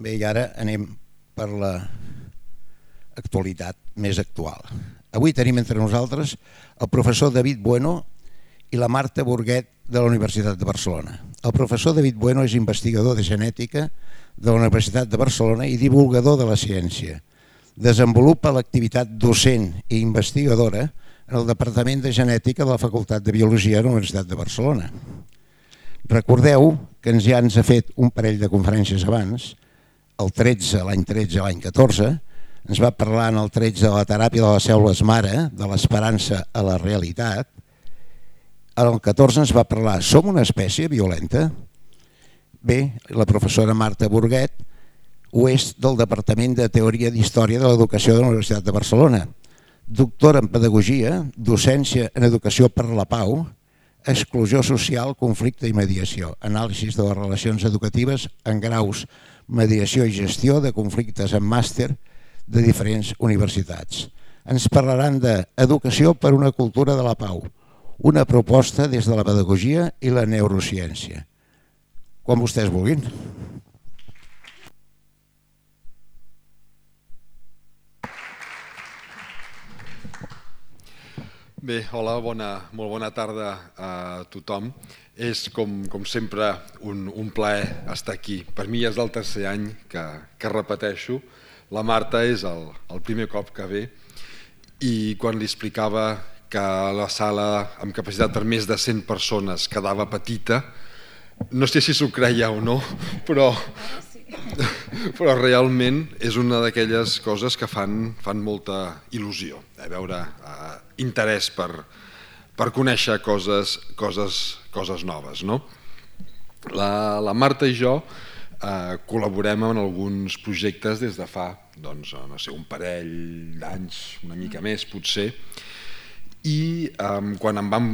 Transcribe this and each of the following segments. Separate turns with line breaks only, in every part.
Bé, i ara anem per l'actualitat més actual. Avui tenim entre nosaltres el professor David Bueno i la Marta Burguet de la Universitat de Barcelona. El professor David Bueno és investigador de genètica de la Universitat de Barcelona i divulgador de la ciència. Desenvolupa l'activitat docent i investigadora en el Departament de Genètica de la Facultat de Biologia de la Universitat de Barcelona. Recordeu que ja ens ha fet un parell de conferències abans, l'any 13, l'any 14, ens va parlar en el 13 de la teràpia de les cèl·lules mare, de l'esperança a la realitat. En el 14 ens va parlar, som una espècie violenta? Bé, la professora Marta Burguet ho és del Departament de Teoria d'Història de l'Educació de la Universitat de Barcelona, doctora en Pedagogia, docència en Educació per la Pau, exclusió social, conflicte i mediació, anàlisis de les relacions educatives en graus, mediació i gestió de conflictes en màster de diferents universitats. Ens parlaran d'educació per una cultura de la pau, una proposta des de la pedagogia i la neurociència. Quan vostès vulguin.
Bé, hola, molt bona tarda a tothom. És, com sempre, un plaer estar aquí. Per mi és el tercer any que repeteixo. La Marta és el primer cop que ve i quan li explicava que la sala amb capacitat per més de 100 persones quedava petita, no sé si s'ho creia o no, però realment és una d'aquelles coses que fan molta il·lusió, veure interès per conèixer coses noves. La Marta i jo col·laborem en alguns projectes des de fa un parell d'anys, una mica més potser, i quan em vam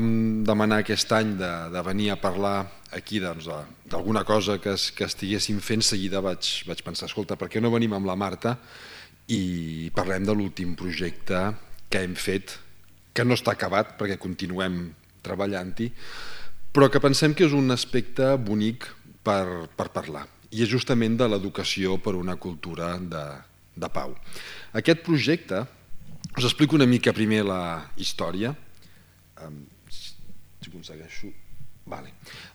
demanar aquest any de venir a parlar aquí d'alguna cosa que estiguéssim fent, seguida vaig pensar, escolta, per què no venim amb la Marta i parlem de l'últim projecte que hem fet, que no està acabat perquè continuem treballant-hi, però que pensem que és un aspecte bonic per parlar, i és justament de l'educació per una cultura de pau. Aquest projecte, us explico una mica primer la història. Si aconsegueixo...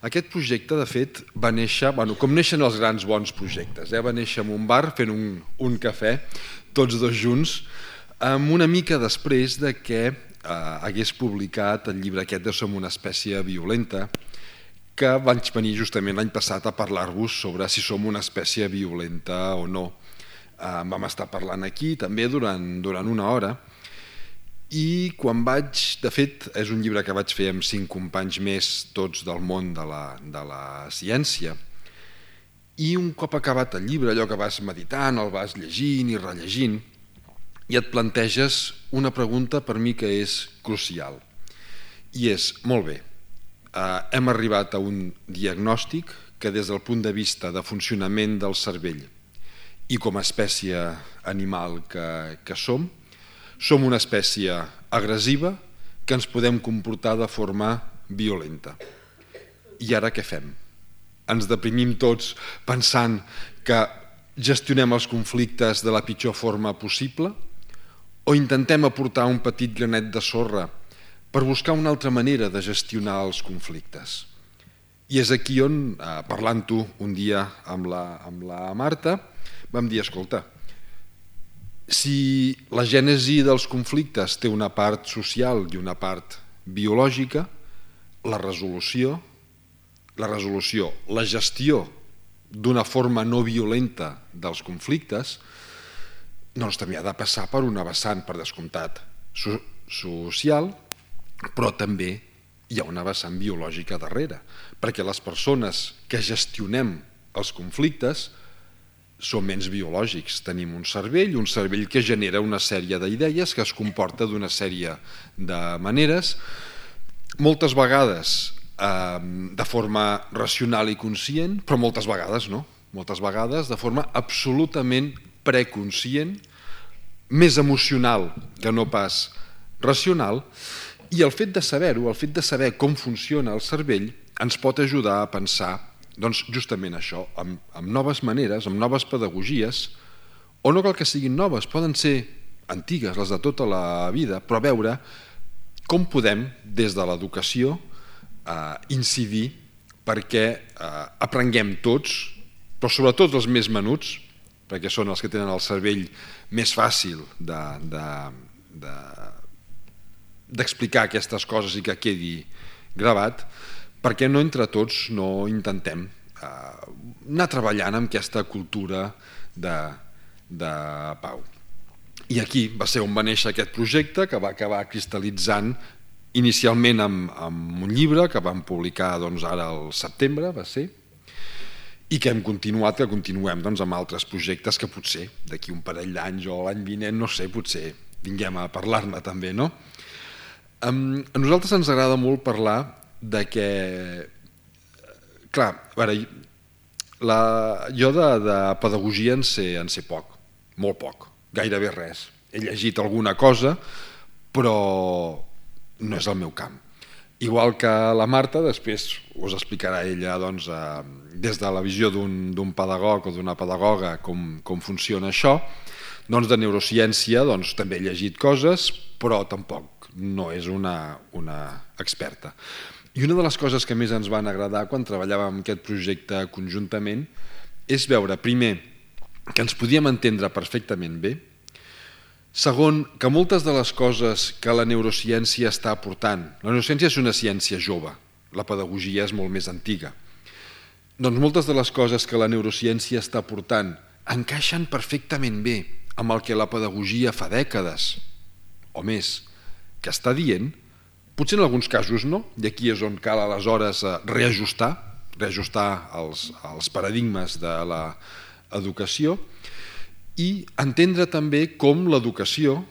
Aquest projecte, de fet, va néixer, com neixen els grans bons projectes, va néixer en un bar fent un cafè, tots dos junts, una mica després de que hagués publicat el llibre aquest de Som una espècie violenta, que vaig venir justament l'any passat a parlar-vos sobre si som una espècie violenta o no. Vam estar parlant aquí també durant una hora, i quan de fet, és un llibre que vaig fer amb 5 companys més, tots del món de la ciència, i un cop acabat el llibre, allò que vas meditant, el vas llegint i rellegint, i et planteges una pregunta per mi que és crucial, i és, molt bé, hem arribat a un diagnòstic que des del punt de vista de funcionament del cervell i com a espècie animal que som una espècie agressiva que ens podem comportar de forma violenta. I ara què fem? Ens deprimim tots pensant que gestionem els conflictes de la pitjor forma possible o intentem aportar un petit granet de sorra per buscar una altra manera de gestionar els conflictes? I és aquí on, parlant-ho un dia amb la Marta, vam dir, escolta, si la gènesi dels conflictes té una part social i una part biològica, la resolució, la gestió d'una forma no violenta dels conflictes, doncs també ha de passar per una vessant, per descomptat, social, però també hi ha una vessant biològica darrere, perquè les persones que gestionem els conflictes som ens biològics, tenim un cervell que genera una sèrie d'idees que es comporta d'una sèrie de maneres, moltes vegades de forma racional i conscient, però moltes vegades no, moltes vegades de forma absolutament preconscient, més emocional que no pas racional, i el fet de saber-ho, el fet de saber com funciona el cervell, ens pot ajudar a pensar Doncs justament això, amb noves maneres, amb noves pedagogies, o no cal que siguin noves, poden ser antigues, les de tota la vida, però a veure com podem, des de l'educació, incidir perquè aprenguem tots, però sobretot els més menuts, perquè són els que tenen el cervell més fàcil d'explicar aquestes coses i que quedi gravat, perquè no entre tots no intentem anar treballant amb aquesta cultura de pau. I aquí va ser on va néixer aquest projecte, que va acabar cristal·litzant inicialment amb un llibre que vam publicar ara al setembre, va ser, i que hem continuat, que continuem amb altres projectes que potser d'aquí un parell d'anys o l'any vinent, no sé, potser vinguem a parlar-ne també, no? A nosaltres ens agrada molt parlar de que, clar, a veure, jo de pedagogia en sé poc, molt poc, gairebé res. He llegit alguna cosa, però no és el meu camp. Igual que la Marta, després us explicarà ella des de la visió d'un pedagog o d'una pedagoga com funciona això. De neurociència també he llegit coses, però tampoc no és una experta. I una de les coses que més ens van agradar quan treballàvem aquest projecte conjuntament és veure, primer, que ens podíem entendre perfectament bé, segon, que moltes de les coses que la neurociència està aportant, la neurociència és una ciència jove, la pedagogia és molt més antiga, doncs moltes de les coses que la neurociència està aportant encaixen perfectament bé amb el que la pedagogia fa dècades o més que està dient, potser en alguns casos no, i aquí és on cal aleshores reajustar els paradigmes de l'educació i entendre també com l'educació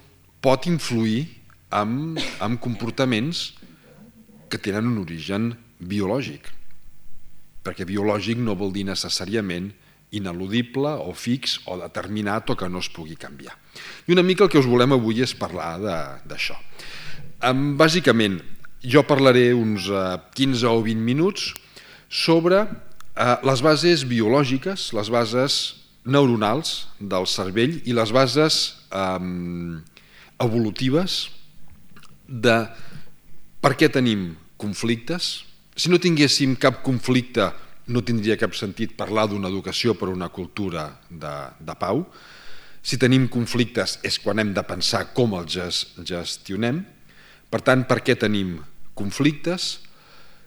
pot influir en comportaments que tenen un origen biològic, perquè biològic no vol dir necessàriament ineludible o fix o determinat o que no es pugui canviar. I una mica el que us volem avui és parlar d'això. Bàsicament, jo parlaré uns 15 o 20 minuts sobre les bases biològiques, les bases neuronals del cervell i les bases evolutives de per què tenim conflictes. Si no tinguéssim cap conflicte, no tindria cap sentit parlar d'una educació per una cultura de pau. Si tenim conflictes és quan hem de pensar com els gestionem. Per tant, per què tenim conflictes?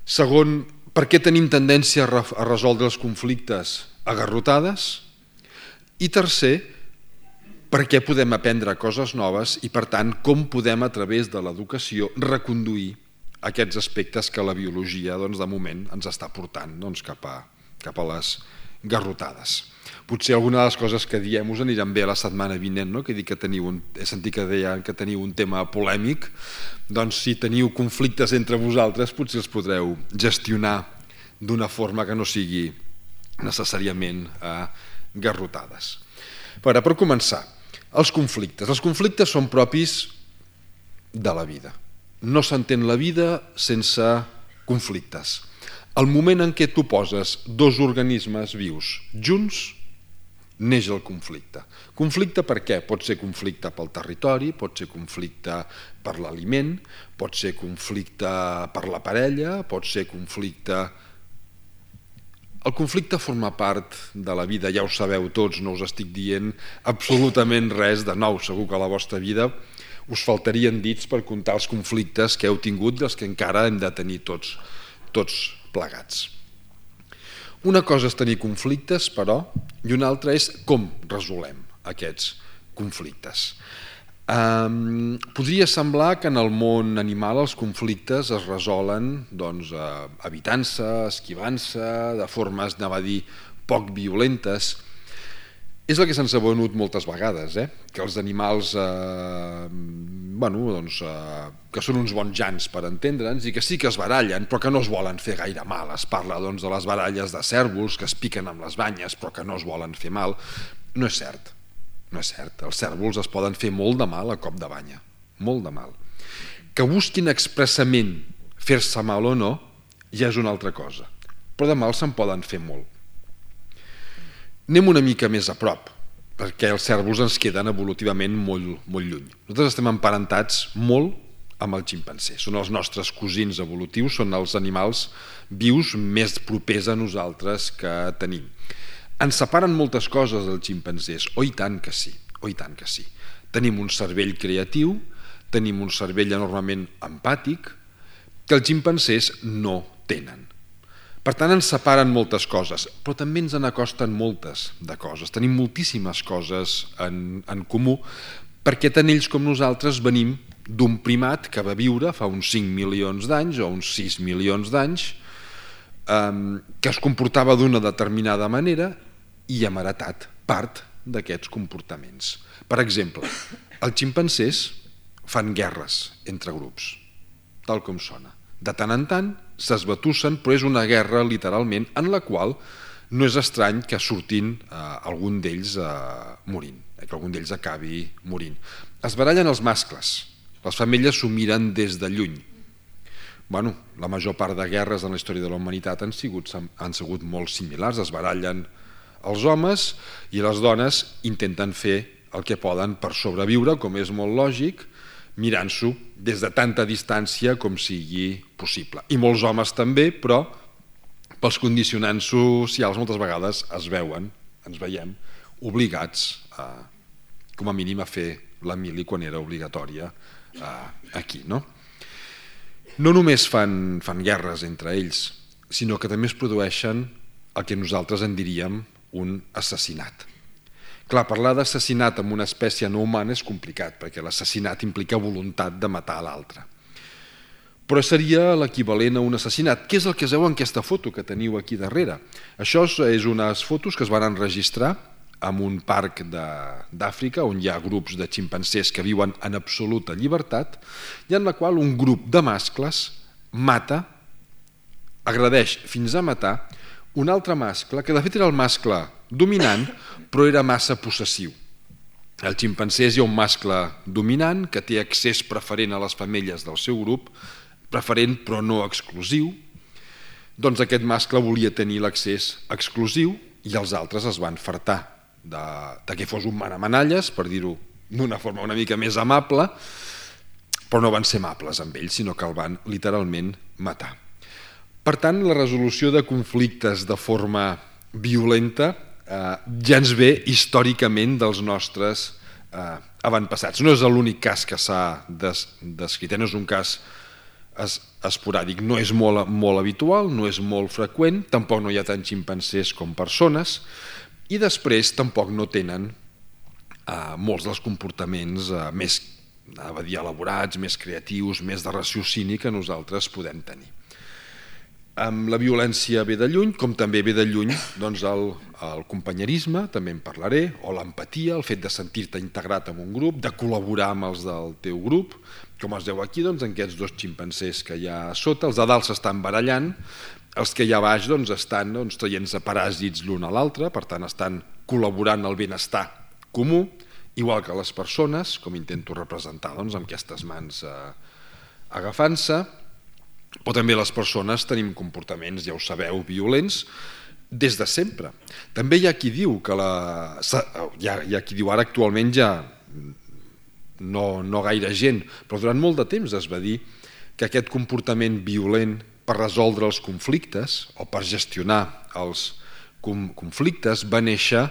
Segon, per què tenim tendència a resoldre els conflictes a garrotades? I tercer, per què podem aprendre coses noves i, per tant, com podem, a través de l'educació, reconduir aquests aspectes que la biologia, de moment, ens està portant cap a les garrotades. Potser alguna de les coses que diem us aniran bé a la setmana vinent, no? Que he sentit que deien que teniu un tema polèmic, doncs si teniu conflictes entre vosaltres potser els podreu gestionar d'una forma que no sigui necessàriament garrotades. Per començar, els conflictes. Els conflictes són propis de la vida. No s'entén la vida sense conflictes. El moment en què tu poses dos organismes vius junts, neix el conflicte. Conflicte per què? Pot ser conflicte pel territori, pot ser conflicte per l'aliment, pot ser conflicte per la parella, pot ser conflicte... El conflicte forma part de la vida, ja ho sabeu tots, no us estic dient absolutament res de nou. Segur que a la vostra vida us faltarien dits per comptar els conflictes que heu tingut i els que encara hem de tenir tots plegats. Una cosa és tenir conflictes, però, i una altra és com resolem aquests conflictes. Podria semblar que en el món animal els conflictes es resolen evitant-se, esquivant-se, de formes, anava a dir, poc violentes. És el que se'ns ha venut moltes vegades, que els animals que són uns bons jans per entendre'ns i que sí que es barallen però que no es volen fer gaire mal. Es parla de les baralles de cérvols que es piquen amb les banyes però que no es volen fer mal. No és cert. No és cert, els cérvols es poden fer molt de mal a cop de banya, molt de mal. Que busquin expressament fer-se mal o no, ja és una altra cosa. però de mal se'n poden fer molt. Anem una mica més a prop, perquè els cérvols ens queden evolutivament molt lluny. Nosaltres estem emparentats molt amb el ximpanzé. Són els nostres cosins evolutius, són els animals vius més propers a nosaltres que tenim. Ens separen moltes coses els ximpanzés, i tant que sí, i tant que sí. Tenim un cervell creatiu, tenim un cervell enormement empàtic, que els ximpanzés no tenen. Per tant, ens separen moltes coses, però també ens n'acosten moltes de coses. Tenim moltíssimes coses en comú, perquè tant ells com nosaltres venim d'un primat que va viure fa uns 5 milions d'anys o uns 6 milions d'anys, que es comportava d'una determinada manera i hem heretat part d'aquests comportaments. Per exemple, els ximpanzés fan guerres entre grups, tal com sona. De tant en tant s'esbatussen, però és una guerra literalment en la qual no és estrany que surtin algun d'ells morint, que algun d'ells acabi morint. Es barallen els mascles, les femelles s'ho miren des de lluny. La major part de guerres en la història de la humanitat han sigut molt similars. Es barallen els homes i les dones intenten fer el que poden per sobreviure, com és molt lògic, mirant-s'ho des de tanta distància com sigui possible. I molts homes també, però pels condicionants socials moltes vegades ens veiem obligats, com a mínim, a fer la mili quan era obligatòria aquí. No només fan guerres entre ells, sinó que també es produeixen el que nosaltres en diríem un assassinat. Clar, parlar d'assassinat amb una espècie no humana és complicat, perquè l'assassinat implica voluntat de matar l'altre. Però seria l'equivalent a un assassinat. Què és el que es veu en aquesta foto que teniu aquí darrere? Això és unes fotos que es van enregistrar en un parc d'Àfrica on hi ha grups de ximpanzés que viuen en absoluta llibertat i en la qual un grup de mascles mata, agredeix fins a matar un altre mascle, que de fet era el mascle dominant, però era massa possessiu. Al ximpanzés hi ha un mascle dominant que té accés preferent a les femelles del seu grup, preferent però no exclusiu. Doncs aquest mascle volia tenir l'accés exclusiu i els altres es van fartar de que fos un manamanalles, per dir-ho d'una forma una mica més amable, però no van ser amables amb ell, sinó que el van literalment matar. Per tant, la resolució de conflictes de forma violenta ja ens ve històricament dels nostres avantpassats. No és l'únic cas que s'ha descrit, no és un cas esporàdic, no és molt habitual, no és molt freqüent, tampoc no hi ha tants ximpanzés com persones, i després tampoc no tenen molts dels comportaments més elaborats, més creatius, més de raciocini que nosaltres podem tenir. La violència ve de lluny, com també ve de lluny el companyerisme, també en parlaré, o l'empatia, el fet de sentir-te integrat en un grup, de col·laborar amb els del teu grup, com es veu aquí en aquests dos ximpanzés que hi ha a sota. Els de dalt s'estan barallant, els que hi ha a baix estan traient-se paràsits l'un a l'altre, per tant estan col·laborant al benestar comú, igual que les persones, com intento representar amb aquestes mans agafant-se. Però també les persones tenim comportaments, ja ho sabeu, violents des de sempre. També hi ha qui diu que ara actualment ja no gaire gent, però durant molt de temps es va dir que aquest comportament violent per resoldre els conflictes o per gestionar els conflictes va néixer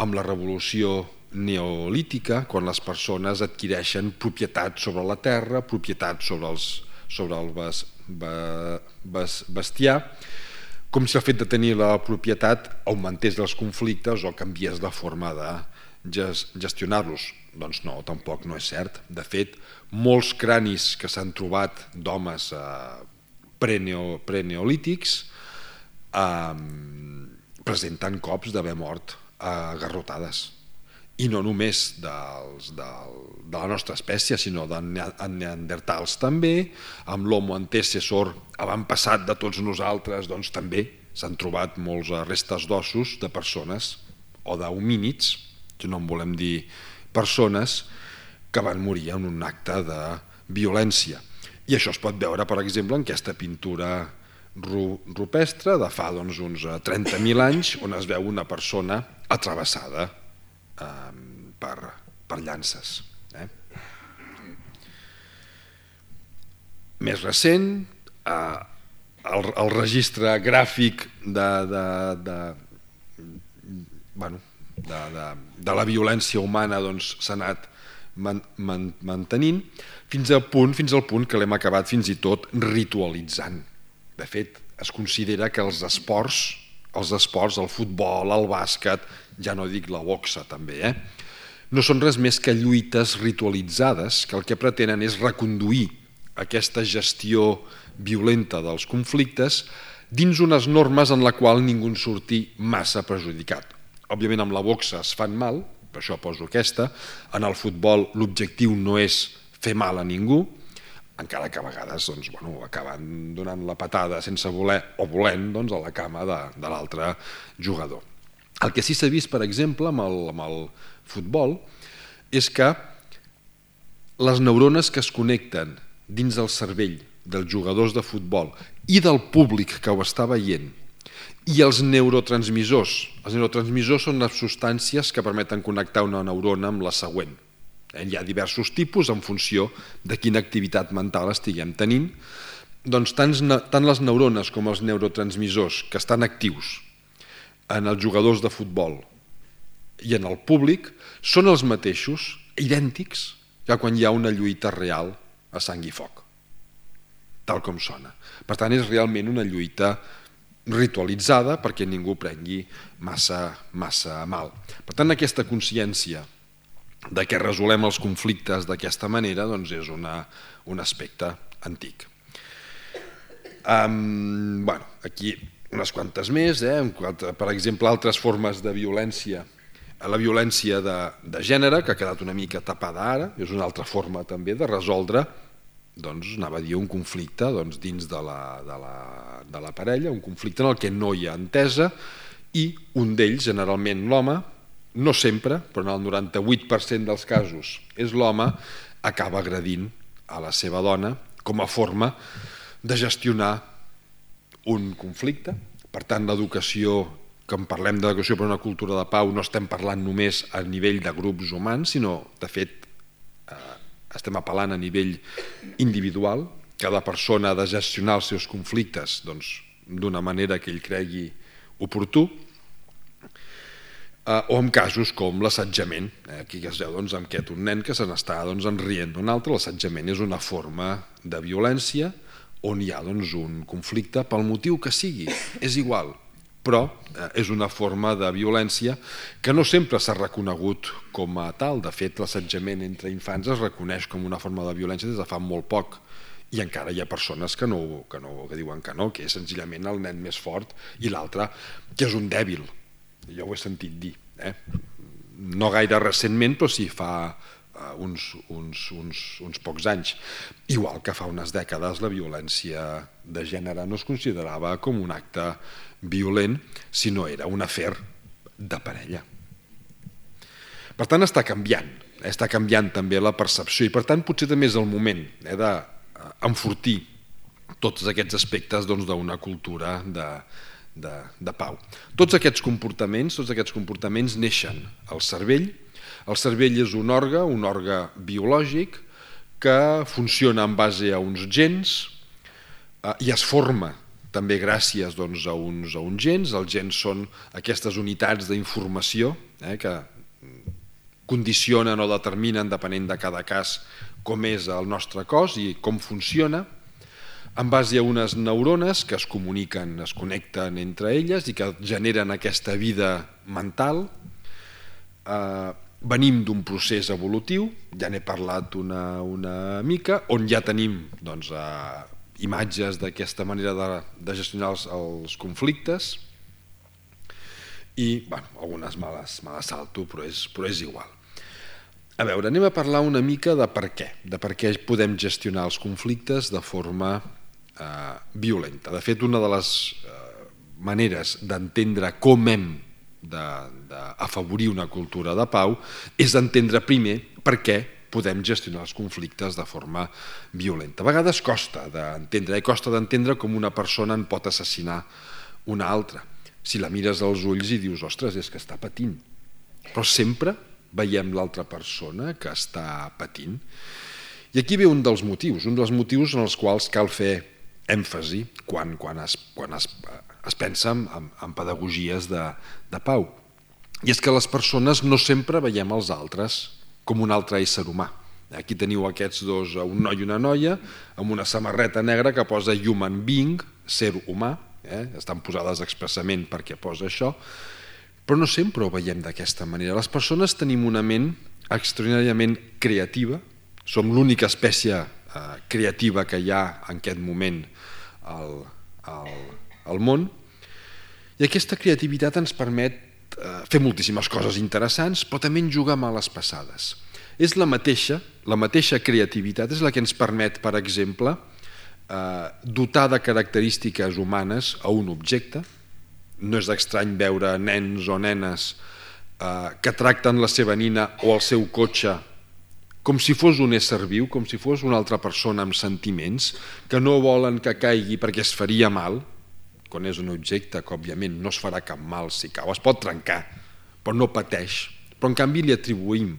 amb la revolució neolítica, quan les persones adquireixen propietat sobre la terra, propietat sobre el bestiar, com si el fet de tenir la propietat augmentés els conflictes o canviés la forma de gestionar-los. Doncs no, tampoc no és cert. De fet, molts cranis que s'han trobat d'homes preneolítics presenten cops d'haver mort a garrotades. I no només de la nostra espècie, sinó de neandertals també, amb l'homo antecessor avantpassat de tots nosaltres, doncs també s'han trobat molts restes d'ossos de persones o d'homínids, que no en volem dir persones, que van morir en un acte de violència. I això es pot veure, per exemple, en aquesta pintura rupestre de fa uns 30.000 anys, on es veu una persona atrevessada per llances. Més recent, el registre gràfic de la violència humana s'ha anat mantenint fins al punt que l'hem acabat fins i tot ritualitzant. De fet, es considera que els esports, el futbol, el bàsquet, ja no dic la boxa també, no són res més que lluites ritualitzades que el que pretenen és reconduir aquesta gestió violenta dels conflictes dins unes normes en la qual ningú en surti massa perjudicat. Òbviament amb la boxa es fan mal, per això poso aquesta, en el futbol l'objectiu no és fer mal a ningú, encara que a vegades acaben donant la patada sense voler o volent a la cama de l'altre jugador. El que sí s'ha vist, per exemple, amb el futbol, és que les neurones que es connecten dins del cervell dels jugadors de futbol i del públic que ho està veient i els neurotransmissors són les substàncies que permeten connectar una neurona amb la següent. Hi ha diversos tipus en funció de quina activitat mental estiguem tenint. Doncs tant les neurones com els neurotransmissors que estan actius en els jugadors de futbol i en el públic són els mateixos, idèntics, que quan hi ha una lluita real a sang i foc, tal com sona. Per tant, és realment una lluita ritualitzada perquè ningú prengui massa mal. Per tant, aquesta consciència de que resolem els conflictes d'aquesta manera és un aspecte antic. Aquí unes quantes més, per exemple, altres formes de violència. La violència de gènere, que ha quedat una mica tapada ara, és una altra forma també de resoldre un conflicte dins de la parella, un conflicte en el que no hi ha entesa i un d'ells, generalment l'home, no sempre, però en el 98% dels casos és l'home, acaba agredint a la seva dona com a forma de gestionar un conflicte. Per tant, l'educació, quan parlem d'educació per una cultura de pau, no estem parlant només a nivell de grups humans, sinó, de fet, estem apel·lant a nivell individual. Cada persona ha de gestionar els seus conflictes d'una manera que ell cregui oportú, o en casos com l'assetjament. Aquí es veu amb aquest un nen que se n'està enrient d'un altre. L'assetjament és una forma de violència on hi ha un conflicte pel motiu que sigui, és igual, però és una forma de violència que no sempre s'ha reconegut com a tal. De fet, l'assetjament entre infants es reconeix com una forma de violència des de fa molt poc i encara hi ha persones que diuen que no, que és senzillament el nen més fort i l'altre que és un dèbil. Jo ho he sentit dir, no gaire recentment, però sí fa uns pocs anys. Igual que fa unes dècades la violència de gènere no es considerava com un acte violent, sinó era un afer de parella. Per tant, està canviant també la percepció i per tant potser també és el moment d'enfortir tots aquests aspectes d'una cultura de pau. Tots aquests comportaments neixen al cervell. El cervell és un òrgan biològic que funciona en base a uns gens i es forma també gràcies a uns gens. Els gens són aquestes unitats d'informació que condicionen o determinen, depenent de cada cas, com és el nostre cos i com funciona, en base a unes neurones que es comuniquen, es connecten entre elles i que generen aquesta vida mental. Venim d'un procés evolutiu, ja n'he parlat una mica, on ja tenim imatges d'aquesta manera de gestionar els conflictes i algunes me les salto, però és igual. A veure, anem a parlar una mica de per què podem gestionar els conflictes de forma violenta. De fet, una de les maneres d'entendre com hem d'afavorir una cultura de pau és entendre primer per què podem gestionar els conflictes de forma violenta. A vegades costa d'entendre com una persona en pot assassinar una altra. Si la mires als ulls i dius, ostres, és que està patint. Però sempre veiem l'altra persona que està patint. I aquí ve un dels motius en els quals cal fer èmfasi quan es pensa en pedagogies de pau. I és que les persones no sempre veiem els altres com un altre ésser humà. Aquí teniu aquests dos, un noi i una noia, amb una samarreta negra que posa human being, ser humà, estan posades expressament perquè posa això, però no sempre ho veiem d'aquesta manera. Les persones tenim una ment extraordinàriament creativa, som l'única espècie creativa que hi ha en aquest moment al món, i aquesta creativitat ens permet fer moltíssimes coses interessants, però també jugar a males passades. És la mateixa creativitat és la que ens permet, per exemple, dotar de característiques humanes a un objecte. No és estrany veure nens o nenes que tracten la seva nina o el seu cotxe com si fos un ésser viu, com si fos una altra persona amb sentiments, que no volen que caigui perquè es faria mal, quan és un objecte que òbviament no es farà cap mal si cau, es pot trencar, però no pateix. Però en canvi li atribuïm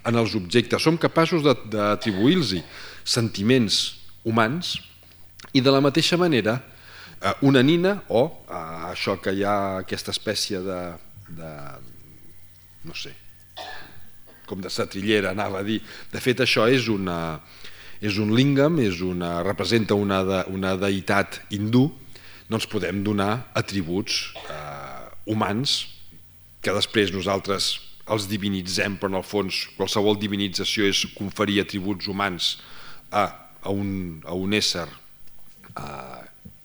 en els objectes, som capaços d'atribuir-los sentiments humans, i de la mateixa manera una nina o això que hi ha aquesta espècie de no sé, com de setrillera anava a dir, de fet això és un lingam, representa una deïtat hindú, doncs podem donar atributs humans que després nosaltres els divinitzem, però en el fons qualsevol divinització és conferir atributs humans a un ésser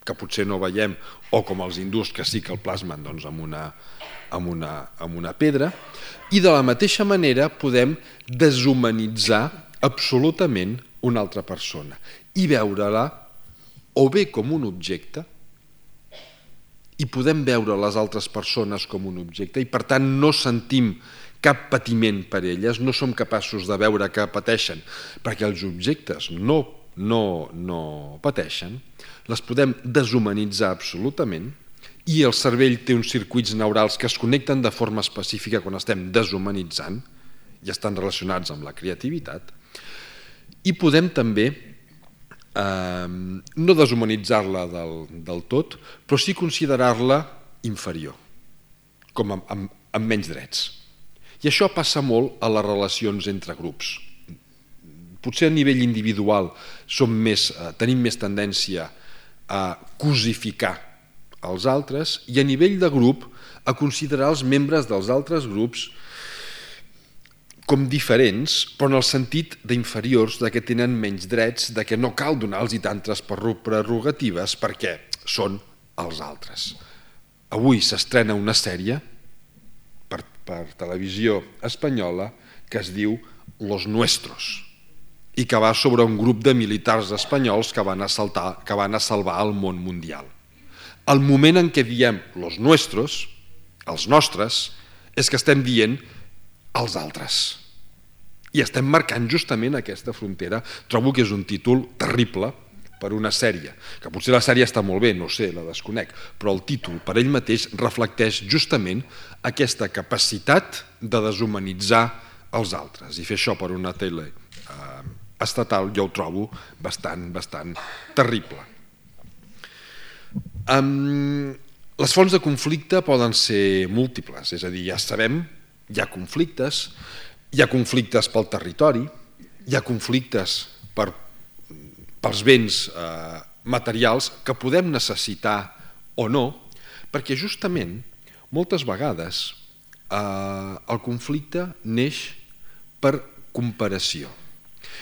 que potser no veiem, o com els hindús que sí que el plasmen amb una pedra, i de la mateixa manera podem deshumanitzar absolutament una altra persona i veure-la o bé com un objecte, i podem veure les altres persones com un objecte i per tant no sentim cap patiment per elles, no som capaços de veure que pateixen perquè els objectes no pateixen, les podem deshumanitzar absolutament, i el cervell té uns circuits neurals que es connecten de forma específica quan estem deshumanitzant i estan relacionats amb la creativitat, i podem també no deshumanitzar-la del tot, però sí considerar-la inferior, com amb menys drets. I això passa molt a les relacions entre grups. Potser a nivell individual tenim més tendència a cosificar els altres, i a nivell de grup a considerar els membres dels altres grups com diferents, però en el sentit d'inferiors, que tenen menys drets, que no cal donar-los tantes prerrogatives perquè són els altres. Avui s'estrena una sèrie per televisió espanyola que es diu Los Nuestros i que va sobre un grup de militars espanyols que van a salvar el món mundial. El moment en què diem los nuestros, els nostres, és que estem dient els altres. I estem marcant justament aquesta frontera. Trobo que és un títol terrible per una sèrie, que potser la sèrie està molt bé, no sé, la desconec, però el títol per ell mateix reflecteix justament aquesta capacitat de deshumanitzar els altres. I fer això per una tele estatal jo ho trobo bastant terrible. Les fonts de conflicte poden ser múltiples, és a dir, ja sabem, hi ha conflictes pel territori, hi ha conflictes pels béns materials que podem necessitar o no, perquè justament moltes vegades el conflicte neix per comparació.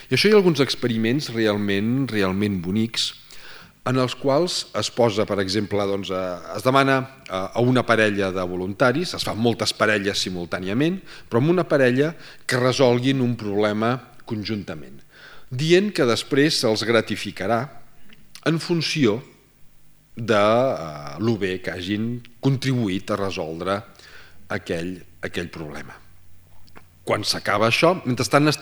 I això hi ha alguns experiments realment bonics en els quals es posa, per exemple, es demana a una parella de voluntaris, es fan moltes parelles simultàniament, però amb una parella que resolguin un problema conjuntament, dient que després se'ls gratificarà en funció de lo bé que hagin contribuït a resoldre aquell problema. Quan s'acaba això, mentrestant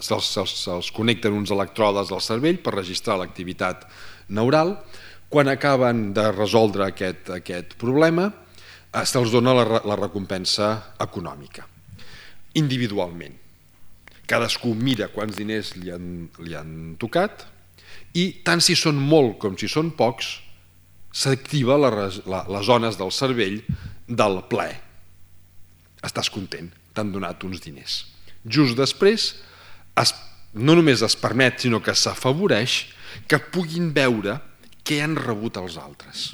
se'ls connecten uns electrodes al cervell per registrar l'activitat neural. Quan acaben de resoldre aquest problema, se'ls dona la recompensa econòmica, individualment. Cadascú mira quants diners li han tocat i tant si són molt com si són pocs, s'activa les zones del cervell del plaer. Estàs content, t'han donat uns diners. Just després, no només es permet, sinó que s'afavoreix que puguin veure què han rebut els altres.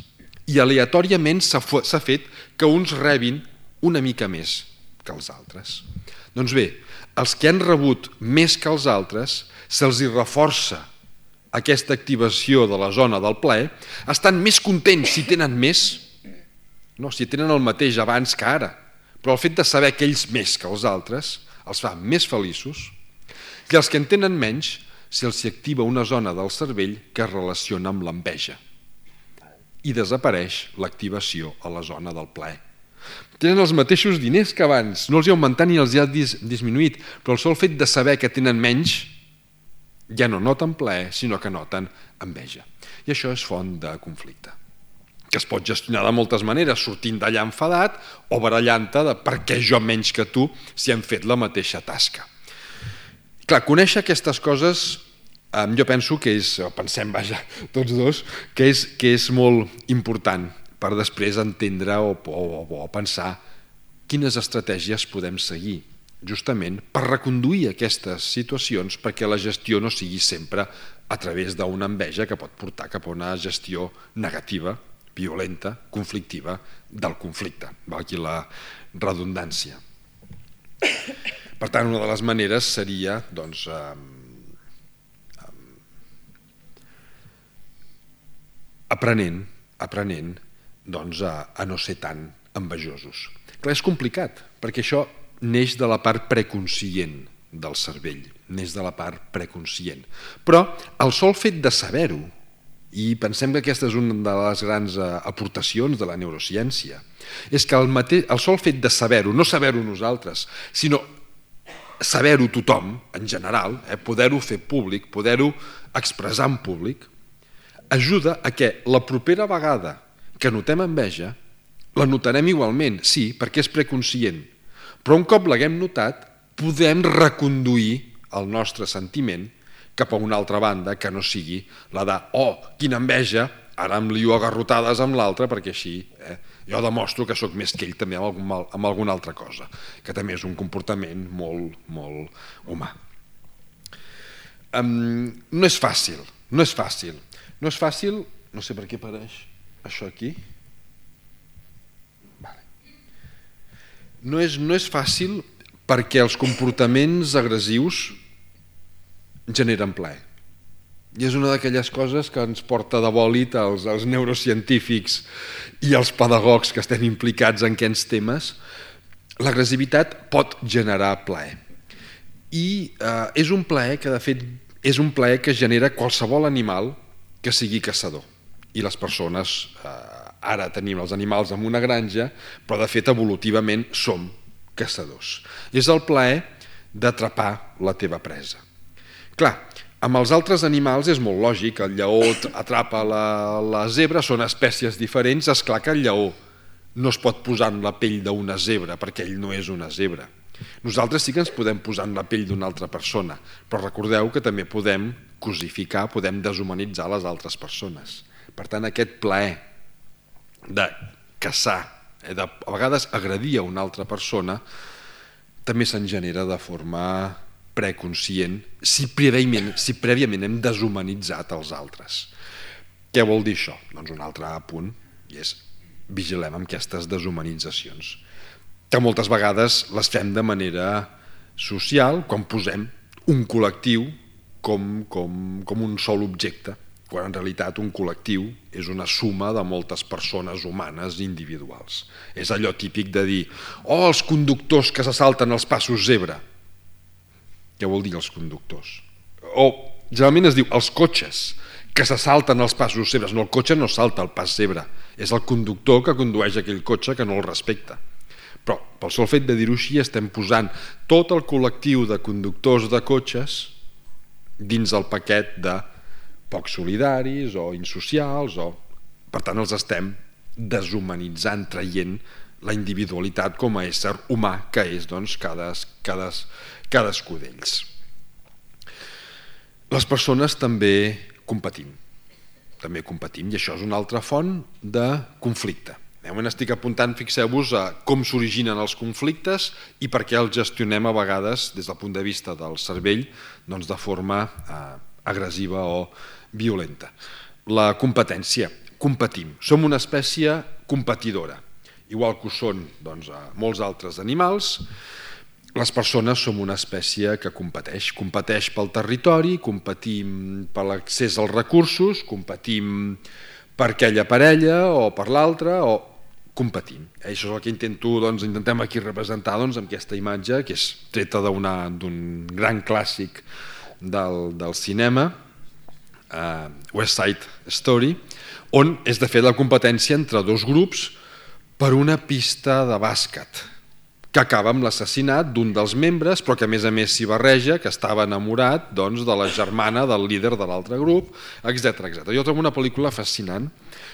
I aleatòriament s'ha fet que uns rebin una mica més que els altres. Doncs bé, els que han rebut més que els altres, se'ls hi reforça aquesta activació de la zona del plaer, estan més contents si tenen més, no, si tenen el mateix abans que ara, però el fet de saber que ells més que els altres els fa més feliços, i els que en tenen menys, se'ls activa una zona del cervell que es relaciona amb l'enveja i desapareix l'activació a la zona del plaer. Tenen els mateixos diners que abans, no els hi ha augmentat ni els hi ha disminuït, però el sol fet de saber que tenen menys ja no noten plaer, sinó que noten enveja. I això és font de conflicte, que es pot gestionar de moltes maneres, sortint d'allà enfadat o barallant-te de per què jo menys que tu si hem fet la mateixa tasca. Clar, conèixer aquestes coses jo penso que és, pensem, vaja, tots dos, que és molt important per després entendre o pensar quines estratègies podem seguir justament per reconduir aquestes situacions perquè la gestió no sigui sempre a través d'una enveja que pot portar cap a una gestió negativa, violenta, conflictiva del conflicte. Aquí la redundància. Per tant, una de les maneres seria doncs, aprenent doncs, a no ser tan envejosos. Clar, és complicat, perquè això neix de la part preconscient del cervell, neix de la part preconscient. Però el sol fet de saber-ho, i pensem que aquesta és una de les grans aportacions de la neurociència, és que el sol fet de saber-ho, no saber-ho nosaltres, sinó saber-ho tothom, en general, poder-ho fer públic, poder-ho expressar en públic, ajuda a que la propera vegada que notem enveja, la notarem igualment, sí, perquè és preconscient, però un cop l'haguem notat, podem reconduir el nostre sentiment cap a una altra banda que no sigui la de oh, quina enveja, ara em lio a garrotades amb l'altre perquè així jo demostro que sóc més que ell també amb alguna altra cosa, que també és un comportament molt, molt humà. No és fàcil, no és fàcil. No és fàcil, no sé per què apareix això aquí. No és fàcil perquè els comportaments agressius generen plaer. I és una d'aquelles coses que ens porta de bòlit als neurocientífics i als pedagogs que estem implicats en aquests temes. L'agressivitat pot generar plaer. I és un plaer que, de fet, és un plaer que genera qualsevol animal que sigui caçador. I les persones, ara tenim els animals en una granja, però de fet evolutivament som caçadors. És el plaer d'atrapar la teva presa. Clar, amb els altres animals és molt lògic, el lleó atrapa la zebra, són espècies diferents, és clar que el lleó no es pot posar en la pell d'una zebra perquè ell no és una zebra. Nosaltres sí que ens podem posar en la pell d'una altra persona, però recordeu que també podem cosificar, podem deshumanitzar les altres persones. Per tant, aquest plaer de caçar, de a vegades agredir a una altra persona, també se'n genera de forma preconscient si prèviament hem deshumanitzat els altres. Què vol dir això? Doncs un altre punt, i és vigilem amb aquestes deshumanitzacions, que moltes vegades les fem de manera social, quan posem un col·lectiu com un sol objecte, quan en realitat un col·lectiu és una suma de moltes persones humanes individuals. És allò típic de dir oh, els conductors que se salten els passos zebra. Què vol dir els conductors? O generalment es diu els cotxes que se salten els passos zebres. No, el cotxe no salta el pas zebra, és el conductor que condueix aquell cotxe que no el respecta. Però pel sol fet de dir-ho així estem posant tot el col·lectiu de conductors de cotxes dins el paquet de poc solidaris o insocials, per tant els estem deshumanitzant, traient la individualitat com a ésser humà que és cadascú d'ells. Les persones també competim i això és una altra font de conflicte. De moment estic apuntant, fixeu-vos, a com s'originen els conflictes i per què els gestionem a vegades des del punt de vista del cervell de forma agressiva o violenta. La competència. Competim. Som una espècie competidora. Igual que ho són molts altres animals, les persones som una espècie que competeix pel territori, competim per l'accés als recursos, competim per aquella parella o per l'altra, o competim. Això és el que intentem aquí representar amb aquesta imatge, que és treta d'un gran clàssic del cinema, West Side Story, on és de fet la competència entre dos grups per una pista de bàsquet que acaba amb l'assassinat d'un dels membres, però que a més s'hi barreja, que estava enamorat de la germana del líder de l'altre grup, etc. Jo trobo una pel·lícula fascinant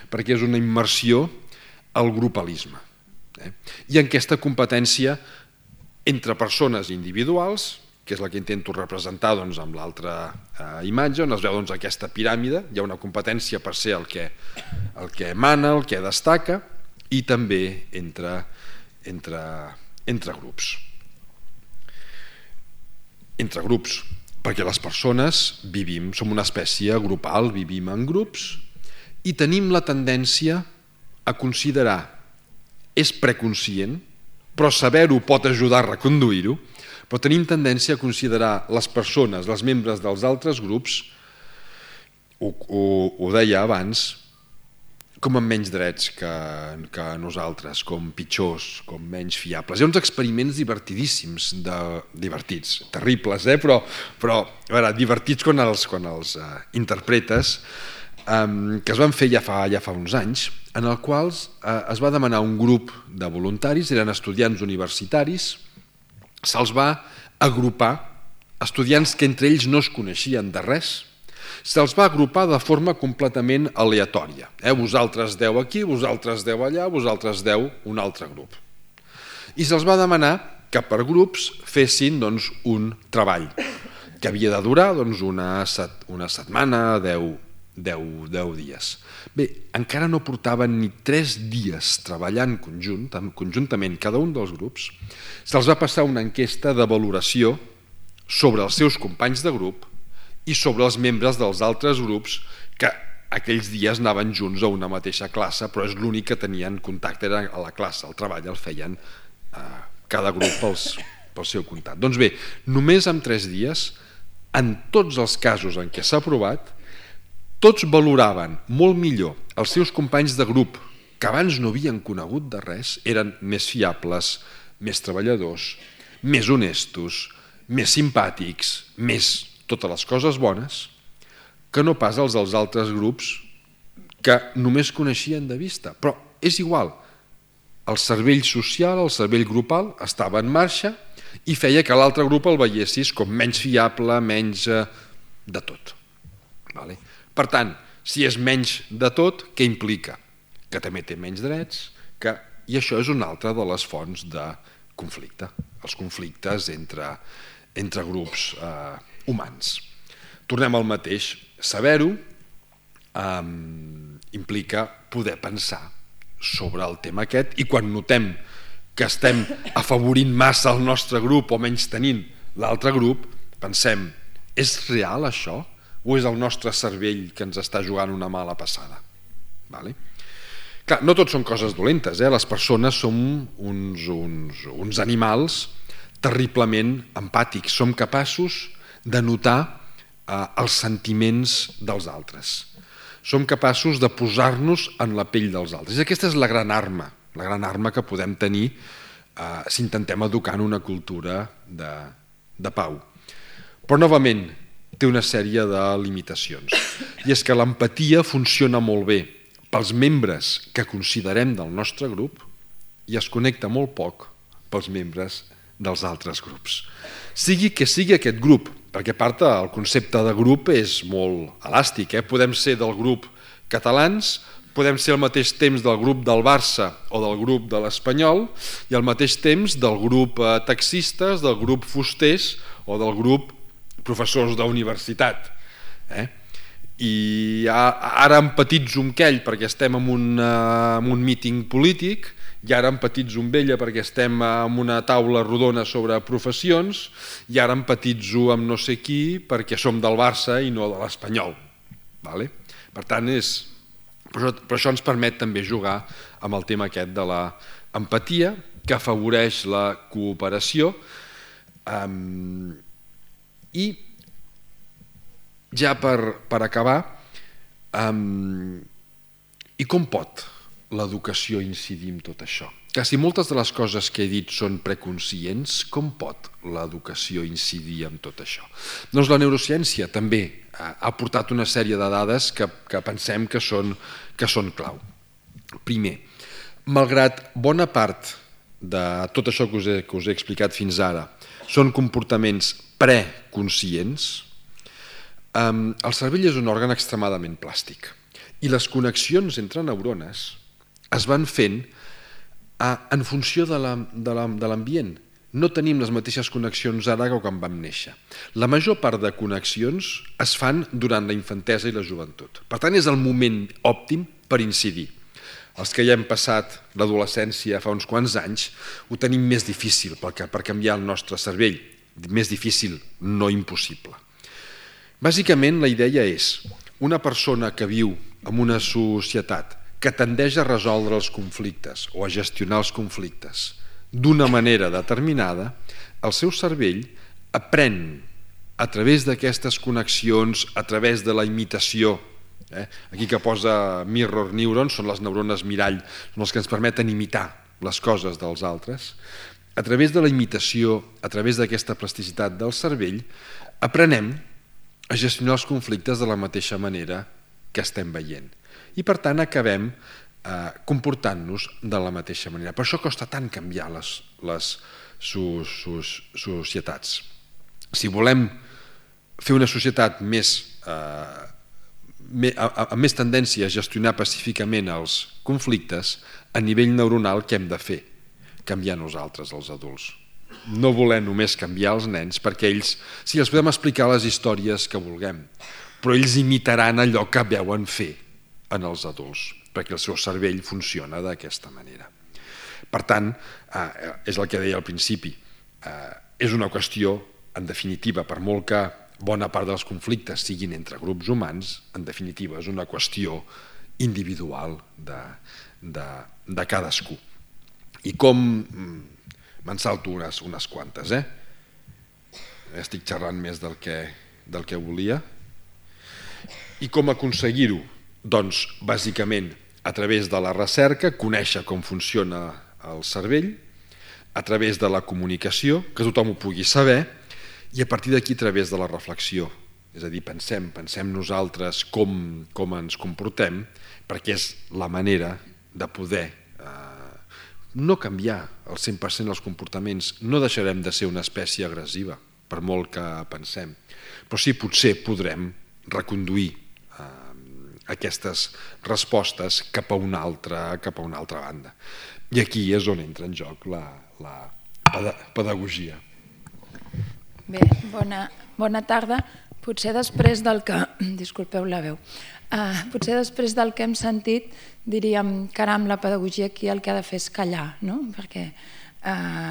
perquè és una immersió al grupalisme. I en aquesta competència entre persones individuals, que és la que intento representar amb l'altra imatge, on es veu aquesta piràmide, hi ha una competència per ser el que mana, el que destaca, i també entre grups. Entre grups, perquè les persones som una espècie grupal, vivim en grups i tenim la tendència a considerar, és preconscient, però saber-ho pot ajudar a reconduir-ho, però tenim tendència a considerar les persones, els membres dels altres grups, ho deia abans, com amb menys drets que nosaltres, com pitjors, com menys fiables. Hi ha uns experiments divertidíssims, divertits, terribles, però divertits quan els interpretes, que es van fer ja fa uns anys, en els quals es va demanar un grup de voluntaris, eren estudiants universitaris, se'ls va agrupar, estudiants que entre ells no es coneixien de res, se'ls va agrupar de forma completament aleatòria. Vosaltres 10 aquí, vosaltres 10 allà, vosaltres 10 un altre grup. I se'ls va demanar que per grups fessin un treball que havia de durar una setmana, 10 dies. Bé, encara no portaven ni 3 dies treballant conjuntament cada un dels grups, se'ls va passar una enquesta de valoració sobre els seus companys de grup i sobre els membres dels altres grups que aquells dies anaven junts a una mateixa classe, però és l'únic que tenien contacte, era a la classe, el treball el feien cada grup pel seu comptat. Doncs bé, només en 3 dies, en tots els casos en què s'ha provat, tots valoraven molt millor els seus companys de grup, que abans no havien conegut de res, eren més fiables, més treballadors, més honestos, més simpàtics, més totes les coses bones, que no pas els dels altres grups que només coneixien de vista. Però és igual, el cervell social, el cervell grupal estava en marxa i feia que l'altre grup el veiessis com menys fiable, menys de tot. Per tant, si és menys de tot, què implica? Que també té menys drets, i això és una altra de les fonts de conflicte, els conflictes entre grups humans. Tornem al mateix, saber-ho implica poder pensar sobre el tema aquest i quan notem que estem afavorint massa el nostre grup o menys tenint l'altre grup, pensem, és real això? O és el nostre cervell que ens està jugant una mala passada? Clar, no tot són coses dolentes, les persones som uns animals terriblement empàtics, som capaços de notar els sentiments dels altres, som capaços de posar-nos en la pell dels altres. I aquesta és la gran arma que podem tenir si intentem educar en una cultura de pau. Però novament té una sèrie de limitacions, i és que l'empatia funciona molt bé pels membres que considerem del nostre grup i es connecta molt poc pels membres dels altres grups. Sigui que sigui aquest grup, perquè a part el concepte de grup és molt elàstic. Podem ser del grup catalans, podem ser al mateix temps del grup del Barça o del grup de l'Espanyol i al mateix temps del grup taxistes, del grup fusters o del grup professors d'universitat. I ara empatitzo amb aquell perquè estem en un míting polític, i ara empatitzo amb ella perquè estem en una taula rodona sobre professions, i ara empatitzo amb no sé qui perquè som del Barça i no de l'Espanyol. Per tant, però això ens permet també jugar amb el tema aquest de l'empatia, que afavoreix la cooperació. I ja per acabar, i com pot l'educació incidir en tot això? Que si moltes de les coses que he dit són preconscients, com pot l'educació incidir en tot això? Doncs la neurociència també ha aportat una sèrie de dades que pensem que són clau. Primer, malgrat bona part de tot això que us he explicat fins ara són comportaments preconscients, el cervell és un òrgan extremadament plàstic i les connexions entre neurones es van fent en funció de l'ambient. No tenim les mateixes connexions ara que quan vam néixer. La major part de connexions es fan durant la infantesa i la joventut. Per tant, és el moment òptim per incidir. Els que ja hem passat l'adolescència fa uns quants anys ho tenim més difícil per canviar el nostre cervell. Més difícil, no impossible. Bàsicament, la idea és una persona que viu en una societat que tendeix a resoldre els conflictes o a gestionar els conflictes d'una manera determinada, el seu cervell aprèn a través d'aquestes connexions, a través de la imitació. Aquí que posa mirror neurons, són les neurones mirall, són els que ens permeten imitar les coses dels altres. A través de la imitació, a través d'aquesta plasticitat del cervell, aprenem a gestionar els conflictes de la mateixa manera que estem veient. I per tant acabem comportant-nos de la mateixa manera. Per això costa tant canviar les societats. Si volem fer una societat amb més tendència a gestionar pacíficament els conflictes, a nivell neuronal què hem de fer? Canviar nosaltres, els adults. No voler només canviar els nens, perquè ells, sí, els podem explicar les històries que vulguem, però ells imitaran allò que veuen fer en els adults, perquè el seu cervell funciona d'aquesta manera. Per tant, és el que deia al principi, és una qüestió, en definitiva, per molt que bona part dels conflictes siguin entre grups humans, en definitiva és una qüestió individual de cadascú. I com... me'n salto unes quantes, estic xerrant més del que volia. I com aconseguir-ho? Doncs, bàsicament, a través de la recerca, conèixer com funciona el cervell, a través de la comunicació, que tothom ho pugui saber, i a partir d'aquí a través de la reflexió. És a dir, pensem nosaltres com ens comportem, perquè és la manera de poder no canviar al 100% els comportaments. No deixarem de ser una espècie agressiva, per molt que pensem. Però sí, potser podrem reconduir aquestes respostes cap a una altra banda. I aquí és on entra en joc la pedagogia.
Bé, bona tarda. Potser després del que... Disculpeu la veu. Potser després del que hem sentit diríem, caram, la pedagogia aquí el que ha de fer és callar, no? Perquè,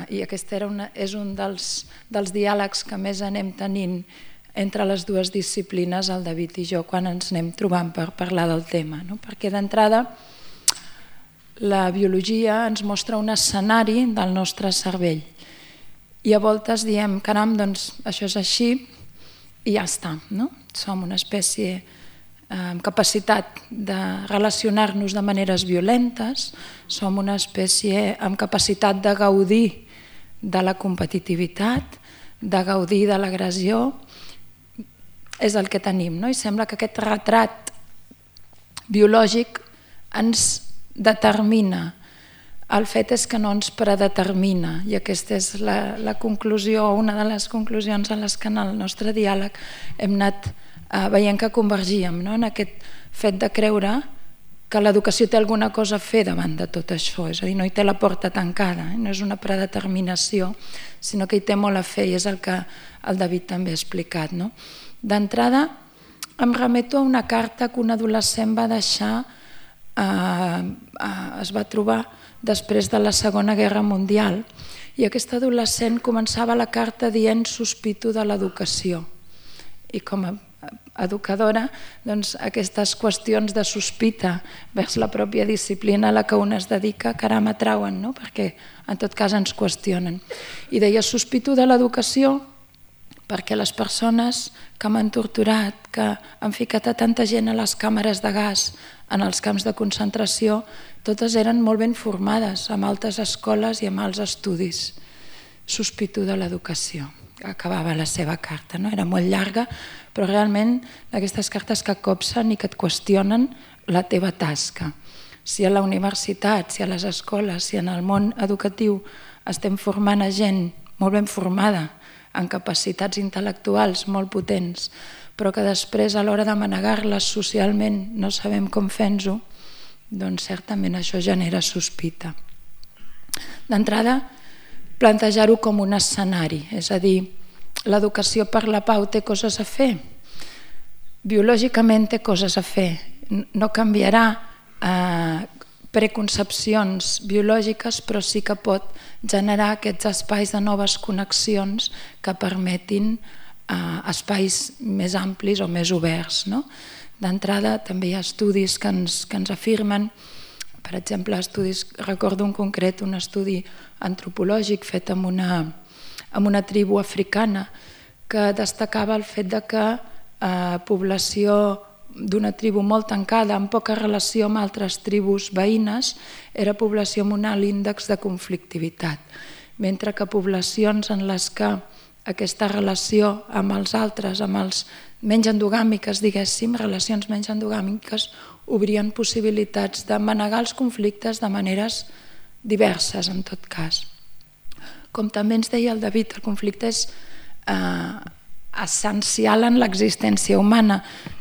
i aquest és un dels diàlegs que més anem tenint entre les dues disciplines, el David i jo, quan ens anem trobant per parlar del tema, no? Perquè d'entrada la biologia ens mostra un escenari del nostre cervell i a voltes diem, caram, doncs això és així i ja està, no? Som una espècie amb capacitat de relacionar-nos de maneres violentes, som una espècie amb capacitat de gaudir de la competitivitat, de gaudir de l'agressió, és el que tenim, no? I sembla que aquest retrat biològic ens determina El fet és que no ens predetermina, i aquesta és la conclusió, una de les conclusions a les que en el nostre diàleg hem anat veient que convergíem, no? En aquest fet de creure que l'educació té alguna cosa a fer davant de tot això, és a dir, no hi té la porta tancada, no és una predeterminació, sinó que hi té molt a fer, i és el que el David també ha explicat. No? D'entrada, em remeto a una carta que un adolescent va deixar, es va trobar després de la Segona Guerra Mundial, i aquest adolescent començava la carta dient sospito de l'educació. I com a educadora, doncs, aquestes qüestions de sospita vers la pròpia disciplina a la que un es dedica, caram, m'atrauen, no? Perquè en tot cas ens qüestionen. I deia, sospito de l'educació perquè les persones que m'han torturat, que han ficat a tanta gent a les càmeres de gas, en els camps de concentració, totes eren molt ben formades, amb altes escoles i amb alts estudis. Sospito de l'educació. Acabava la seva carta, no? Era molt llarga, però realment aquestes cartes que copsen i que et qüestionen la teva tasca. Si a la universitat, si a les escoles, si en el món educatiu estem formant a gent molt ben formada, amb capacitats intel·lectuals molt potents, però que després a l'hora de manegar-les socialment no sabem com fer-nos-ho, doncs certament això genera sospita. D'entrada, plantejar-ho com un escenari, és a dir, l'educació per la pau té coses a fer, biològicament té coses a fer, no canviarà preconcepcions biològiques, però sí que pot generar aquests espais de noves connexions que permetin espais més amplis o més oberts. D'entrada també hi ha estudis que ens afirmen, per exemple, recordo un concret, un estudi antropològic fet amb una tribu africana que destacava el fet que població d'una tribu molt tancada, amb poca relació amb altres tribus veïnes, era població amb un alt índex de conflictivitat, mentre que poblacions en les que aquesta relació amb els altres, amb els menys endogàmiques, diguéssim, relacions menys endogàmiques, obrien possibilitats de manegar els conflictes de maneres diverses, en tot cas. Com també ens deia el David, el conflicte és essencial en l'existència humana.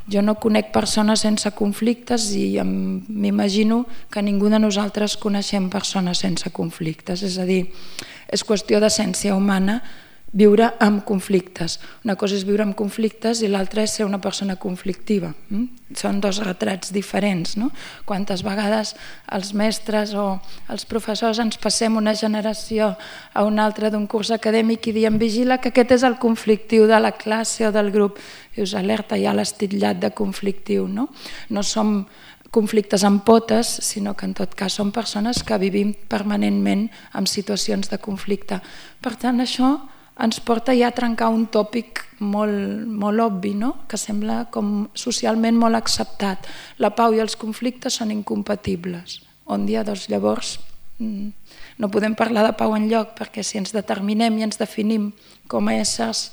Jo no conec persones sense conflictes i m'imagino que ningú de nosaltres coneixem persones sense conflictes. És a dir, és qüestió d'essència humana viure amb conflictes. Una cosa és viure amb conflictes i l'altra és ser una persona conflictiva. Són dos retrats diferents. Quantes vegades els mestres o els professors ens passem una generació a una altra d'un curs acadèmic i diem vigila que aquest és el conflictiu de la classe o del grup. I us alerta ja l'estitllat de conflictiu. No som conflictes amb potes, sinó que en tot cas som persones que vivim permanentment en situacions de conflicte. Per tant, això ens porta ja a trencar un tòpic molt obvi, que sembla com socialment molt acceptat. La pau i els conflictes són incompatibles. On dia doncs llavors no podem parlar de pau enlloc, perquè si ens determinem i ens definim com a éssers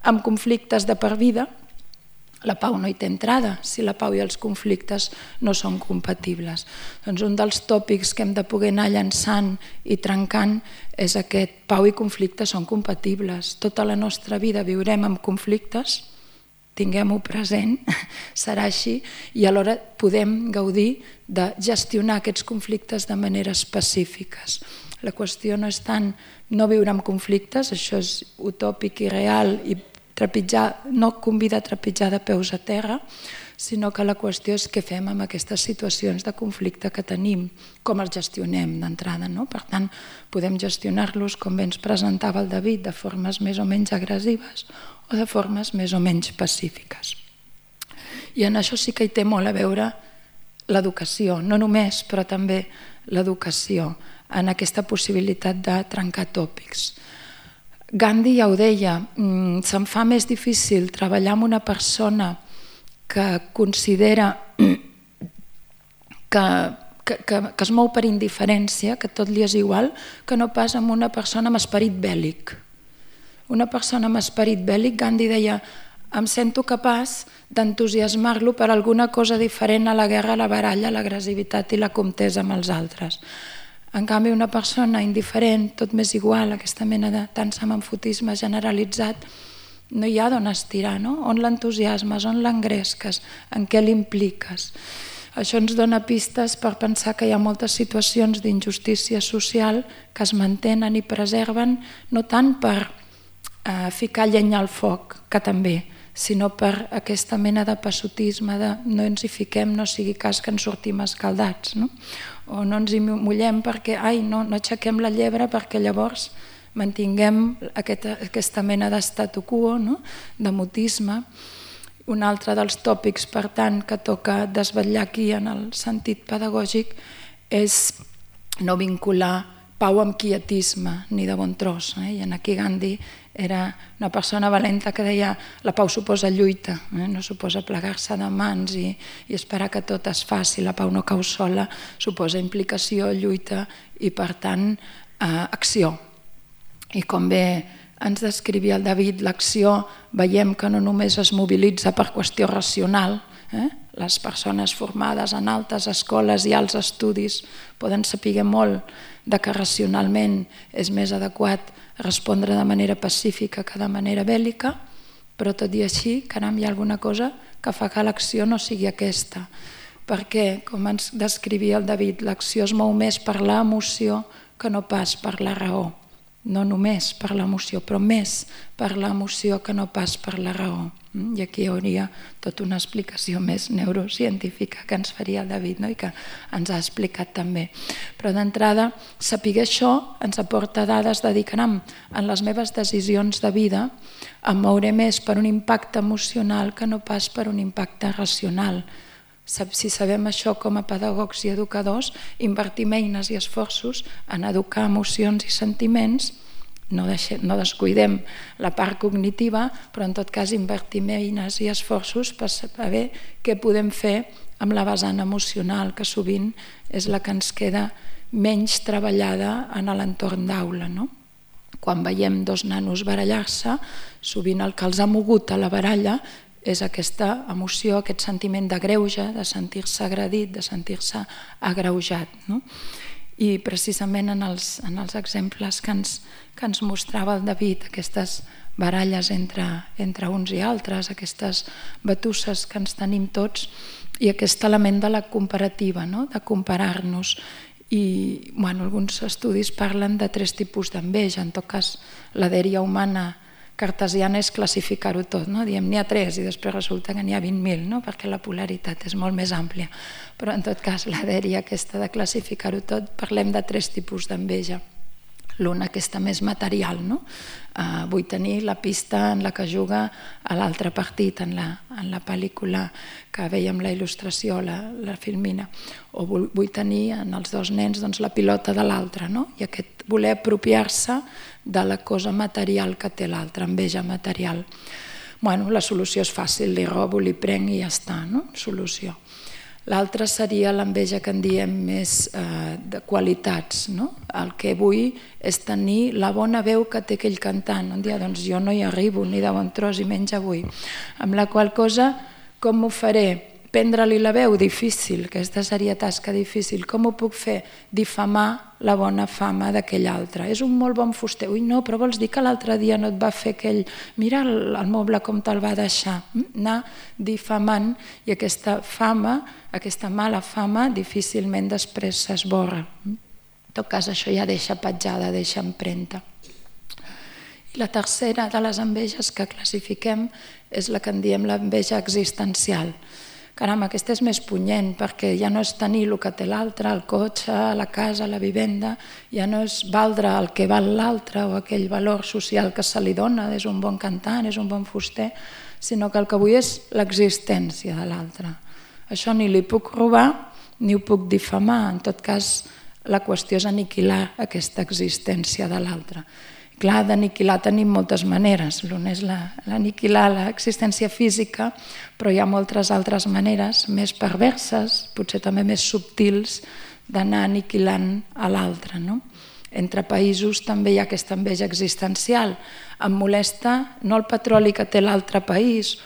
amb conflictes de per vida, la pau no hi té entrada, si la pau i els conflictes no són compatibles. Doncs un dels tòpics que hem de poder anar llançant i trencant és aquest: pau i conflicte són compatibles. Tota la nostra vida viurem amb conflictes, tinguem-ho present, serà així, i alhora podem gaudir de gestionar aquests conflictes de maneres pacífiques. La qüestió no és tant no viure amb conflictes, això és utòpic i real i no convida a trepitjar de peus a terra, sinó que la qüestió és què fem amb aquestes situacions de conflicte que tenim, com els gestionem d'entrada. Per tant, podem gestionar-los, com bé ens presentava el David, de formes més o menys agressives o de formes més o menys pacífiques. I en això sí que hi té molt a veure l'educació, no només, però també l'educació, en aquesta possibilitat de trencar tòpics. Gandhi ja ho deia, se'm fa més difícil treballar amb una persona que considera que es mou per indiferència, que tot li és igual, que no pas amb una persona amb esperit bèl·lic. Una persona amb esperit bèl·lic, Gandhi deia, em sento capaç d'entusiasmar-lo per alguna cosa diferent a la guerra, a la baralla, a l'agressivitat i la contesa amb els altres. En canvi, una persona indiferent, tot m'és igual, aquesta mena de tant semanfotisme generalitzat, no hi ha d'on estirar, no? On l'entusiasmes, on l'engresques, en què l'impliques. Això ens dona pistes per pensar que hi ha moltes situacions d'injustícia social que es mantenen i preserven no tant per ficar llenya al foc, que també, sinó per aquesta mena de passotisme de no ens hi fiquem, no sigui cas que ens sortim escaldats, no? O no ens hi mullem perquè no aixequem la llebre perquè llavors mantinguem aquesta mena d'estatu quo, no? De mutisme. Un altre dels tòpics, per tant, que toca desvetllar aquí en el sentit pedagògic és no vincular pau amb quietisme, ni de bon tros. I aquí Gandhi era una persona valenta que deia la pau suposa lluita, no suposa plegar-se de mans i esperar que tot es faci. La pau no cau sola, suposa implicació, lluita i, per tant, acció. I com bé ens descrivia el David, l'acció veiem que no només es mobilitza per qüestió racional, les persones formades en altes escoles i alts estudis poden saber molt de que racionalment és més adequat respondre de manera pacífica que de manera bèl·lica, però tot i així, caram, hi ha alguna cosa que fa que l'acció no sigui aquesta. Perquè, com ens descrivia el David, l'acció es mou més per l'emoció que no pas per la raó. No només per l'emoció, però més per l'emoció que no pas per la raó. I aquí hi hauria tota una explicació més neurocientífica que ens faria el David, no? I que ens ha explicat també. Però d'entrada, saber això ens aporta dades de dir, caram, en les meves decisions de vida em mouré més per un impacte emocional que no pas per un impacte racional. Si sabem això com a pedagogs i educadors, invertim eines i esforços en educar emocions i sentiments, no descuidem la part cognitiva, però en tot cas invertim eines i esforços per saber què podem fer amb la vessant emocional, que sovint és la que ens queda menys treballada en l'entorn d'aula, no? Quan veiem dos nanos barallar-se, sovint el que els ha mogut a la baralla és aquesta emoció, aquest sentiment de greuge, de sentir-se agredit, de sentir-se agreujat. No? I precisament en els exemples que ens mostrava el David, aquestes baralles entre uns i altres, aquestes batusses que ens tenim tots i aquest element de la comparativa, no? De comparar-nos. I alguns estudis parlen de 3 tipus d'enveja. En tot cas, la dèria humana cartesiana és classificar-ho tot, no? Diem n'hi ha 3 i després resulta que n'hi ha 20.000, no? Perquè la polaritat és molt més àmplia. Però en tot cas, la dèria aquesta de classificar-ho tot, parlem de 3 tipus d'enveja. L'una, aquesta més material, no? Vull tenir la pista en la que juga a l'altre partit, en la pel·lícula que veiem la il·lustració, la filmina. O vull tenir en els 2 nens la pilota de l'altre, no? I aquest voler apropiar-se de la cosa material que té l'altre, enveja material. La solució és fàcil, li robo, li prenc i ja està, no? Solució. L'altra seria l'enveja que en diem més de qualitats, no? El que vull és tenir la bona veu que té aquell cantant. Un dia, doncs jo no hi arribo ni de bon tros i menys avui. Amb la qual cosa, com m'ho faré? Prendre-li la veu? Difícil, aquesta seria tasca difícil. Com ho puc fer? Difamar la bona fama d'aquell altre. És un molt bon fuster. Ui, no, però vols dir que l'altre dia no et va fer aquell... Mira el moble com te'l va deixar. Anar difamant i aquesta fama, aquesta mala fama, difícilment després s'esborra. En tot cas, això ja deixa petjada, deixa empremta. I la tercera de les enveges que classifiquem és la que en diem l'enveja existencial. Caram, aquesta és més punyent perquè ja no és tenir el que té l'altre, el cotxe, la casa, la vivenda, ja no és valdre el que val l'altre o aquell valor social que se li dona, és un bon cantant, és un bon fuster, sinó que el que vull és l'existència de l'altre. Això ni li puc robar ni ho puc difamar, en tot cas la qüestió és aniquilar aquesta existència de l'altre. Clar, d'aniquilar tenim moltes maneres. L'una és l'aniquilar l'existència física, però hi ha moltes altres maneres més perverses, potser també més subtils, d'anar aniquilant a l'altre. No? Entre països també hi ha aquesta enveja existencial. Em molesta no el petroli que té l'altre país,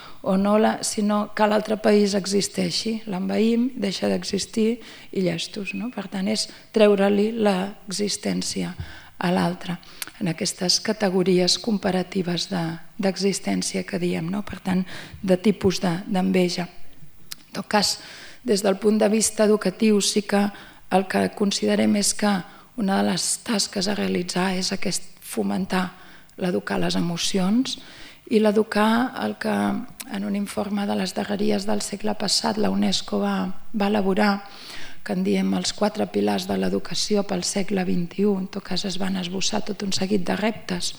sinó que l'altre país existeixi. L'envaïm, deixa d'existir i llestos. Per tant, és treure-li l'existència a l'altre, en aquestes categories comparatives d'existència que diem, per tant, de tipus d'enveja. En tot cas, des del punt de vista educatiu, sí que el que considerem és que una de les tasques a realitzar és fomentar l'educar les emocions i l'educar el que en un informe de les darreries del segle passat la UNESCO va elaborar, que en diem els 4 pilars de l'educació pel segle XXI. En tot cas es van esbossar tot un seguit de reptes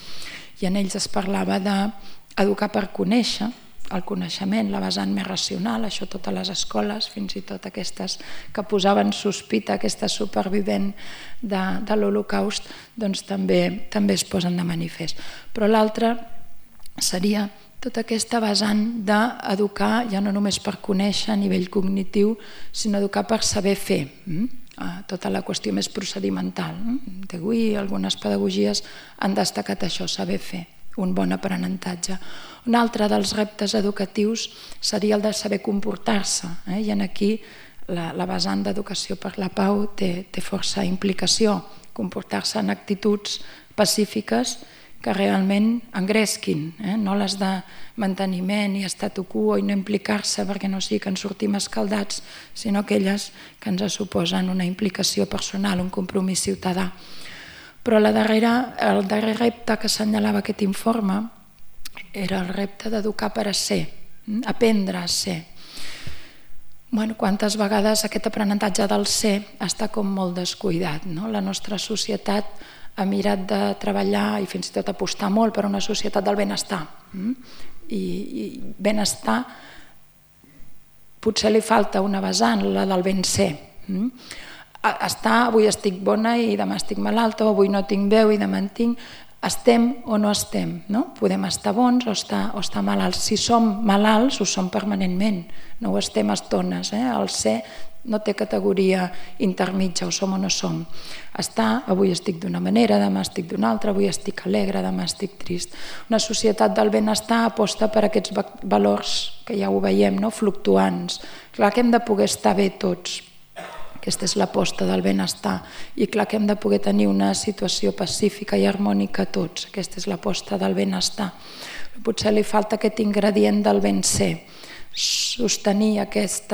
i en ells es parlava d'educar per conèixer, el coneixement, la vessant més racional, això totes les escoles, fins i tot aquestes que posaven sospita, aquesta supervivent de l'Holocaust, doncs també es posen de manifest. Però l'altre seria tota aquesta vessant d'educar ja no només per conèixer a nivell cognitiu, sinó educar per saber fer. Tota la qüestió més procedimental. Avui algunes pedagogies han destacat això, saber fer, un bon aprenentatge. Un altre dels reptes educatius seria el de saber comportar-se, i aquí la vessant d'educació per la pau té força implicació, comportar-se en actituds pacífiques que realment engresquin, no les de manteniment i statu quo i no implicar-se perquè no sigui que en sortim escaldats, sinó aquelles que ens suposen una implicació personal, un compromís ciutadà. Però el darrer repte que assenyalava aquest informe era el repte d'educar per a ser, aprendre a ser. Quantes vegades aquest aprenentatge del ser està com molt descuidat. La nostra societat ha mirat de treballar i fins i tot apostar molt per una societat del benestar. I benestar potser li falta una vessant, la del ben ser. Avui estic bona i demà estic malalta, o avui no tinc veu i demà en tinc. Estem o no estem, podem estar bons o estar malalts. Si som malalts, ho som permanentment, no ho estem a estones. El ser no té categoria intermitja, o som o no som. Avui estic d'una manera, demà estic d'una altra, avui estic alegre, demà estic trist. Una societat del benestar aposta per aquests valors que ja ho veiem, fluctuants. Clar que hem de poder estar bé tots. Aquesta és l'aposta del benestar. I clar que hem de poder tenir una situació pacífica i harmònica tots. Aquesta és l'aposta del benestar. Potser li falta aquest ingredient del ben ser. Sostenir aquest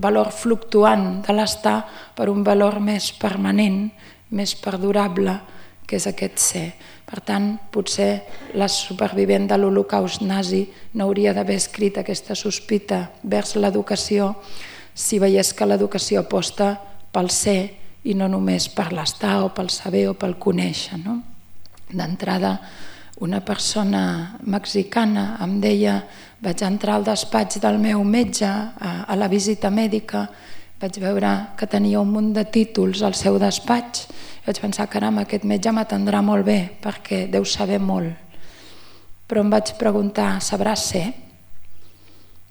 valor fluctuant de l'estar per un valor més permanent, més perdurable, que és aquest ser. Per tant, potser la supervivent de l'Holocaust nazi no hauria d'haver escrit aquesta sospita vers l'educació si veiés que l'educació aposta pel ser i no només per l'estar o pel saber o pel conèixer. D'entrada, una persona mexicana em deia: vaig entrar al despatx del meu metge a la visita mèdica, vaig veure que tenia un munt de títols al seu despatx i vaig pensar, caram, aquest metge m'atendrà molt bé perquè deu saber molt. Però em vaig preguntar, sabrà ser?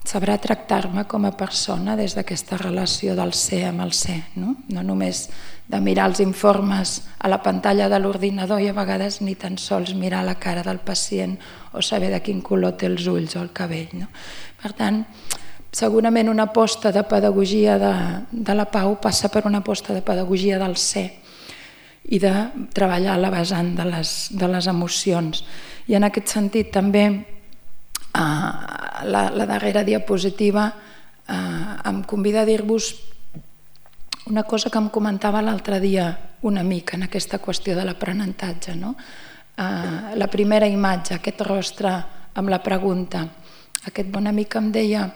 Sabrà tractar-me com a persona des d'aquesta relació del ser amb el ser, no només de mirar els informes a la pantalla de l'ordinador i a vegades ni tan sols mirar la cara del pacient o saber de quin color té els ulls o el cabell. Per tant, segurament una aposta de pedagogia de la pau passa per una aposta de pedagogia del ser i de treballar la vessant de les emocions. I en aquest sentit també la darrera diapositiva em convida a dir-vos una cosa que em comentava l'altre dia un amic en aquesta qüestió de l'aprenentatge. La primera imatge, aquest rostre amb la pregunta. Aquest bon amic em deia: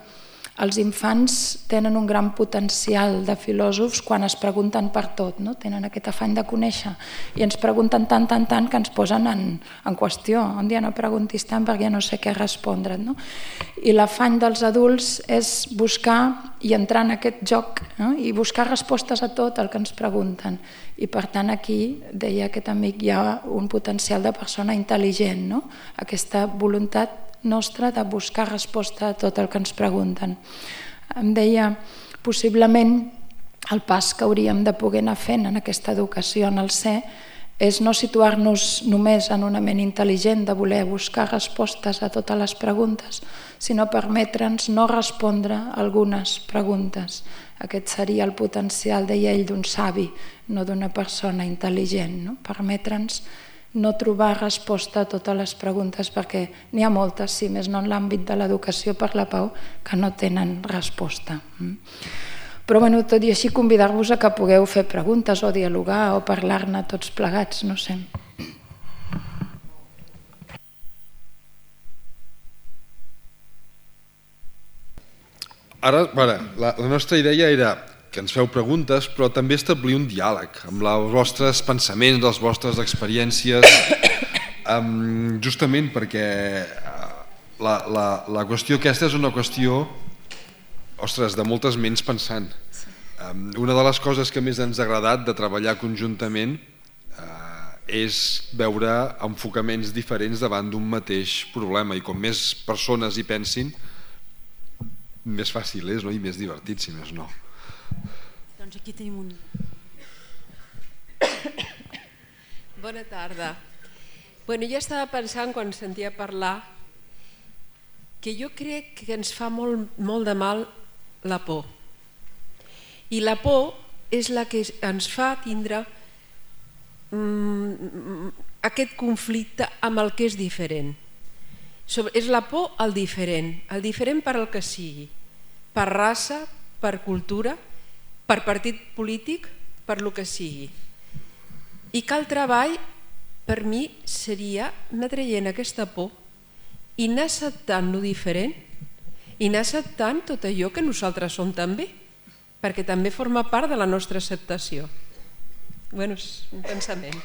els infants tenen un gran potencial de filòsofs quan es pregunten per tot, tenen aquest afany de conèixer i ens pregunten tant que ens posen en qüestió. Un dia no preguntis tant perquè no sé què respondre't. I l'afany dels adults és buscar i entrar en aquest joc i buscar respostes a tot el que ens pregunten. I per tant aquí, deia aquest amic, hi ha un potencial de persona intel·ligent, aquesta voluntat nostra de buscar resposta a tot el que ens pregunten. Em deia, possiblement el pas que hauríem de poder anar fent en aquesta educació en el ser és no situar-nos només en una ment intel·ligent de voler buscar respostes a totes les preguntes, sinó permetre'ns no respondre algunes preguntes. Aquest seria el potencial, deia ell, d'un savi, no d'una persona intel·ligent. No? Permetre'ns no trobar resposta a totes les preguntes, perquè n'hi ha moltes, si més no en l'àmbit de l'educació per la pau, que no tenen resposta. Però tot i així convidar-vos a que pugueu fer preguntes o dialogar o parlar-ne tots plegats, no sé.
Ara, la nostra idea era que ens feu preguntes, però també establir un diàleg amb els vostres pensaments, les vostres experiències, justament perquè la qüestió aquesta és una qüestió, ostres, de moltes ments pensant. Una de les coses que més ens ha agradat de treballar conjuntament és veure enfocaments diferents davant d'un mateix problema, i com més persones hi pensin, més fàcil és, no? I més divertit, si més no.
Doncs aquí tenim un... Bona tarda. Jo estava pensant, quan sentia parlar, que jo crec que ens fa molt de mal la por. I la por és la que ens fa tindre aquest conflicte amb el que és diferent. És la por al diferent per al que sigui, per raça, per cultura, per partit polític, per lo que sigui. I que el treball, per mi, seria anar traient aquesta por i anar acceptant lo diferent i anar acceptant tot allò que nosaltres som també, perquè també forma part de la nostra acceptació. És un pensament.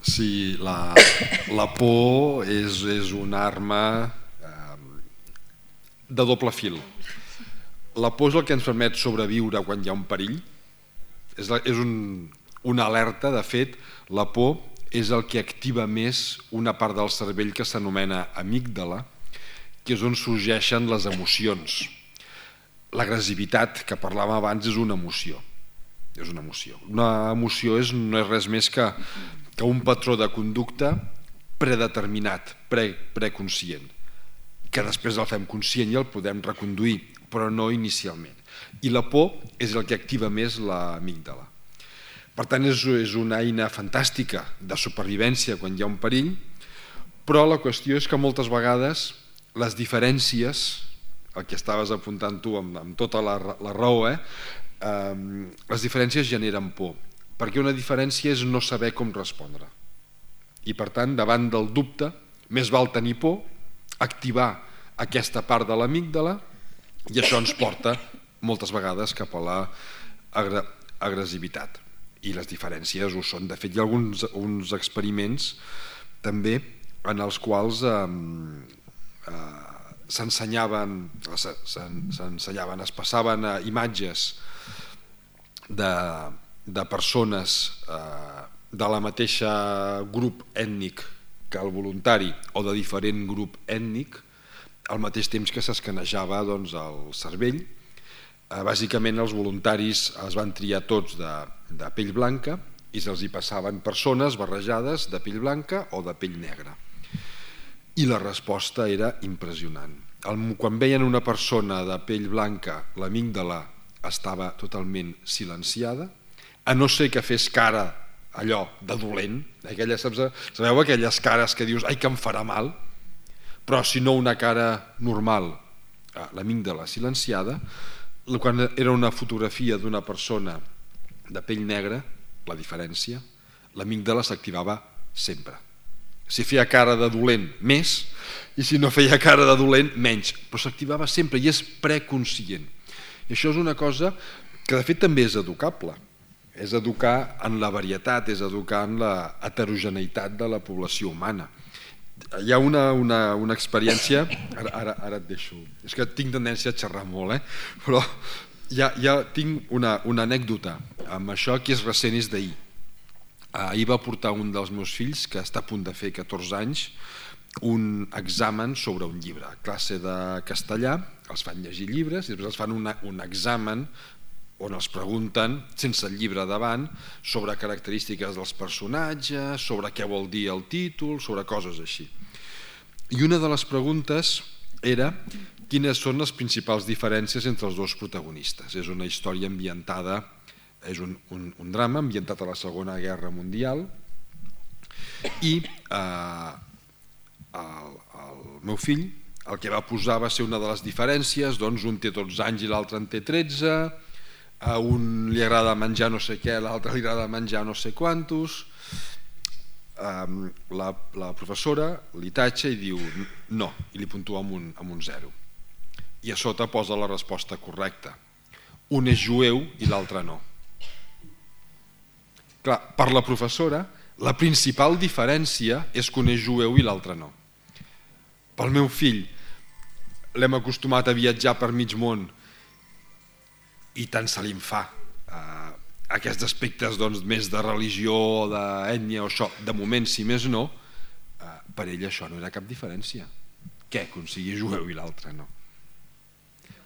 Sí, la por és una arma de doble fil. La por és el que ens permet sobreviure quan hi ha un perill. És una alerta. De fet, la por és el que activa més una part del cervell que s'anomena amígdala, que és on sorgeixen les emocions. L'agressivitat, que parlàvem abans, és una emoció. Una emoció no és res més que un patró de conducta predeterminat, preconscient, que després el fem conscient i el podem reconduir, però no inicialment. I la por és el que activa més l'amígdala. Per tant, és una eina fantàstica de supervivència quan hi ha un perill, però la qüestió és que moltes vegades les diferències, el que estaves apuntant tu amb tota la raó, les diferències generen por, perquè una diferència és no saber com respondre. I per tant, davant del dubte, més val tenir por, activar aquesta part de l'amígdala, i això ens porta moltes vegades cap a l'agressivitat. I les diferències ho són. De fet, hi ha uns experiments també en els quals s'ensenyaven, es passaven imatges de persones de la mateixa grup ètnic que el voluntari o de diferent grup ètnic al mateix temps que s'escanejava el cervell. Bàsicament els voluntaris es van triar tots de pell blanca i se'ls hi passaven persones barrejades de pell blanca o de pell negra. I la resposta era impressionant. Quan veien una persona de pell blanca, l'amígdala estava totalment silenciada, a no ser que fes cara allò de dolent, sabeu aquelles cares que dius ai que em farà mal, però si no una cara normal, l'amígdala silenciada. Quan era una fotografia d'una persona de pell negra, la diferència, l'amígdala s'activava sempre. Si feia cara de dolent, més, i si no feia cara de dolent, menys, però s'activava sempre i és preconscient. I això és una cosa que de fet també és educable, és educar en la varietat, és educar en la heterogeneïtat de la població humana. Hi ha una experiència, ara et deixo, és que tinc tendència a xerrar molt, però ja tinc una anècdota amb això que és recent, és d'ahir. Ahir va portar un dels meus fills, que està a punt de fer 14 anys, un examen sobre un llibre. A classe de castellà els fan llegir llibres i després els fan un examen on els pregunten, sense el llibre davant, sobre característiques dels personatges, sobre què vol dir el títol, sobre coses així. I una de les preguntes era quines són les principals diferències entre els dos protagonistes. És una història ambientada, és un drama ambientat a la Segona Guerra Mundial, i el meu fill el que va posar va ser una de les diferències, doncs un té 12 anys i l'altre en té 13, a un li agrada menjar no sé què, a l'altre li agrada menjar no sé quantos. La professora li tatxa i diu no, i li puntua amb un 0. I a sota posa la resposta correcta. Un és jueu i l'altre no. Clar, per la professora, la principal diferència és que un és jueu i l'altre no. Pel meu fill, l'hem acostumat a viatjar per mig món i tant se li en fa. Aquests aspectes més de religió, d'ètnia o això, de moment, si més no, per ell això no era cap diferència. Què? Que un sigui jueu i l'altre no.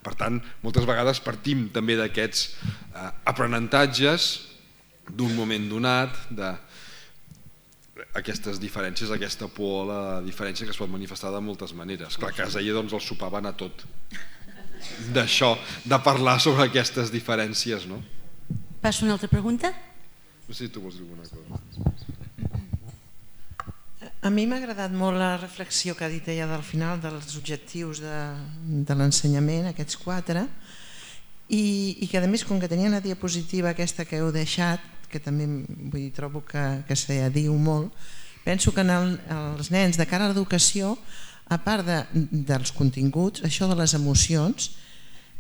Per tant, moltes vegades partim també d'aquests aprenentatges d'un moment donat, d'aquestes diferències, aquesta por a la diferència que es pot manifestar de moltes maneres. Clar, a casa ella el sopar va anar tot d'això, de parlar sobre aquestes diferències, no?
Passo a una altra pregunta?
No sé si tu vols dir alguna cosa.
A mi m'ha agradat molt la reflexió que ha dit ella del final dels objectius de l'ensenyament, aquests 4, i que a més, com que tenia una diapositiva aquesta que heu deixat, que també trobo que se diu molt, penso que els nens de cara a l'educació, a part dels continguts, això de les emocions,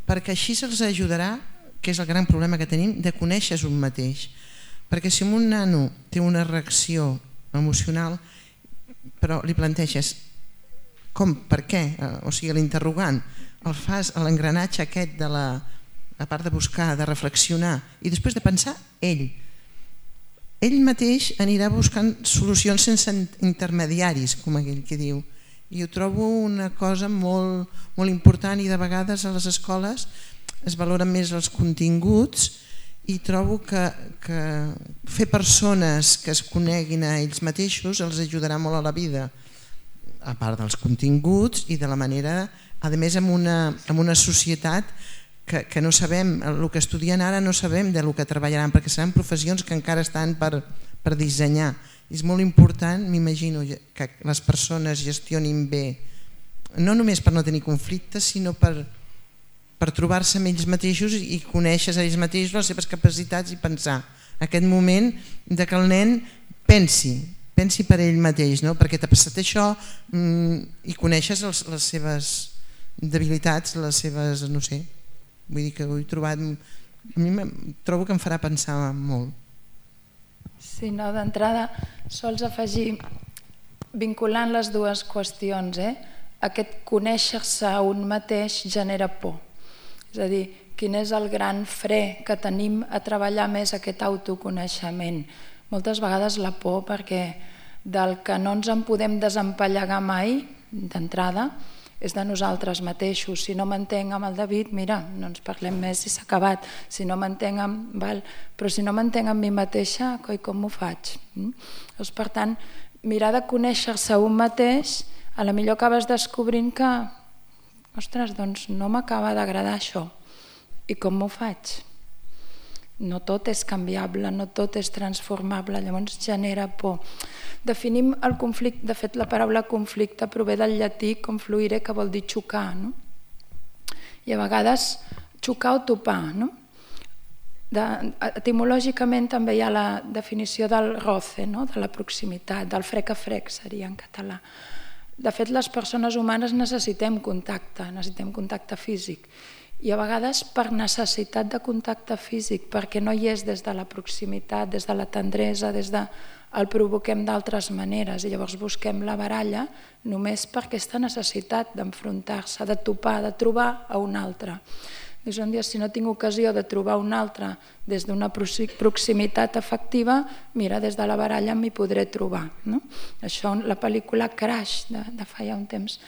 perquè així se'ls ajudarà, que és el gran problema que tenim, de conèixer un mateix. Perquè si un nano té una reacció emocional, però li planteges com, per què, o sigui l'interrogant, el fas a l'engranatge aquest de a part de buscar, de reflexionar i després de pensar, ell mateix anirà buscant solucions sense intermediaris, com aquell que diu. I ho trobo una cosa molt, molt important, i de vegades a les escoles es valoren més els continguts, i trobo que fer persones que es coneguin a ells mateixos els ajudarà molt a la vida, a part dels continguts i de la manera, a més en una societat que no sabem, el que estudien ara no sabem del que treballaran, perquè seran professions que encara estan per dissenyar. És molt important, m'imagino, que les persones gestionin bé, no només per no tenir conflictes, sinó per trobar-se amb ells mateixos i conèixer a ells mateixos les seves capacitats i pensar aquest moment que el nen pensi per ell mateix, perquè t'ha passat això, i coneixes les seves debilitats, les seves, no sé, vull dir que ho he trobat, a mi trobo que em farà pensar molt.
Sí, no, d'entrada sols afegir, vinculant les dues qüestions, aquest conèixer-se a un mateix genera por. És a dir, quin és el gran fre que tenim a treballar més aquest autoconeixement? Moltes vegades la por, perquè del que no ens en podem desempallegar mai, d'entrada, és de nosaltres mateixos. Si no m'entenc amb el David, mira, no ens parlem més i s'ha acabat. Si no m'entenc amb... Però si no m'entenc amb mi mateixa, coi, com ho faig? Per tant, mirar de conèixer-se un mateix, a la millor acabes descobrint que ostres, doncs no m'acaba d'agradar això. I com m'ho faig? No tot és canviable, no tot és transformable, llavors genera por. Definim el conflicte, de fet la paraula conflicte prové del llatí confluire, que vol dir xocar, no? I a vegades xocar o topar, no? Etimològicament també hi ha la definició del roce, de la proximitat, del frec a frec seria en català. De fet, les persones humanes necessitem contacte físic, i a vegades per necessitat de contacte físic, perquè no hi és des de la proximitat, des de la tendresa, el provoquem d'altres maneres, i llavors busquem la baralla només per aquesta necessitat d'enfrontar-se, de topar, de trobar a un altre. Dius, un dia, si no tinc ocasió de trobar un altre des d'una proximitat efectiva, mira, des de la baralla m'hi podré trobar. Això, la pel·lícula Crash, de fa ja un temps,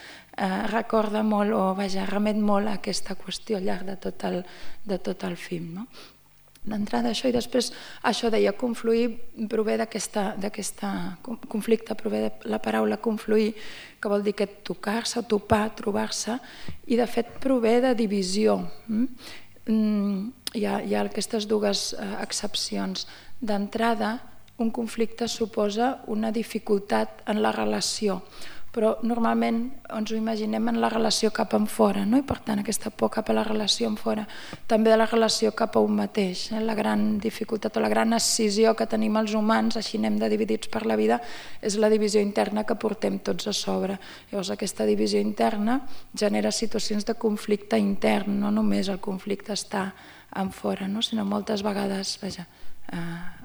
recorda molt, o vaja, remet molt a aquesta qüestió al llarg de tot el film. d'entrada això, i després això deia confluir prové d'aquest conflicte, prové de la paraula confluir, que vol dir que tocar-se, topar, trobar-se, i de fet prové de divisió. Hi ha aquestes dues excepcions. D'entrada, un conflicte suposa una dificultat en la relació, però normalment ens ho imaginem en la relació cap enfora, no? I per tant aquesta por cap a la relació enfora, també de la relació cap a un mateix. La gran dificultat o la gran escissió que tenim els humans, així anem de dividits per la vida, és la divisió interna que portem tots a sobre. Llavors aquesta divisió interna genera situacions de conflicte intern, no només el conflicte està enfora, sinó moltes vegades,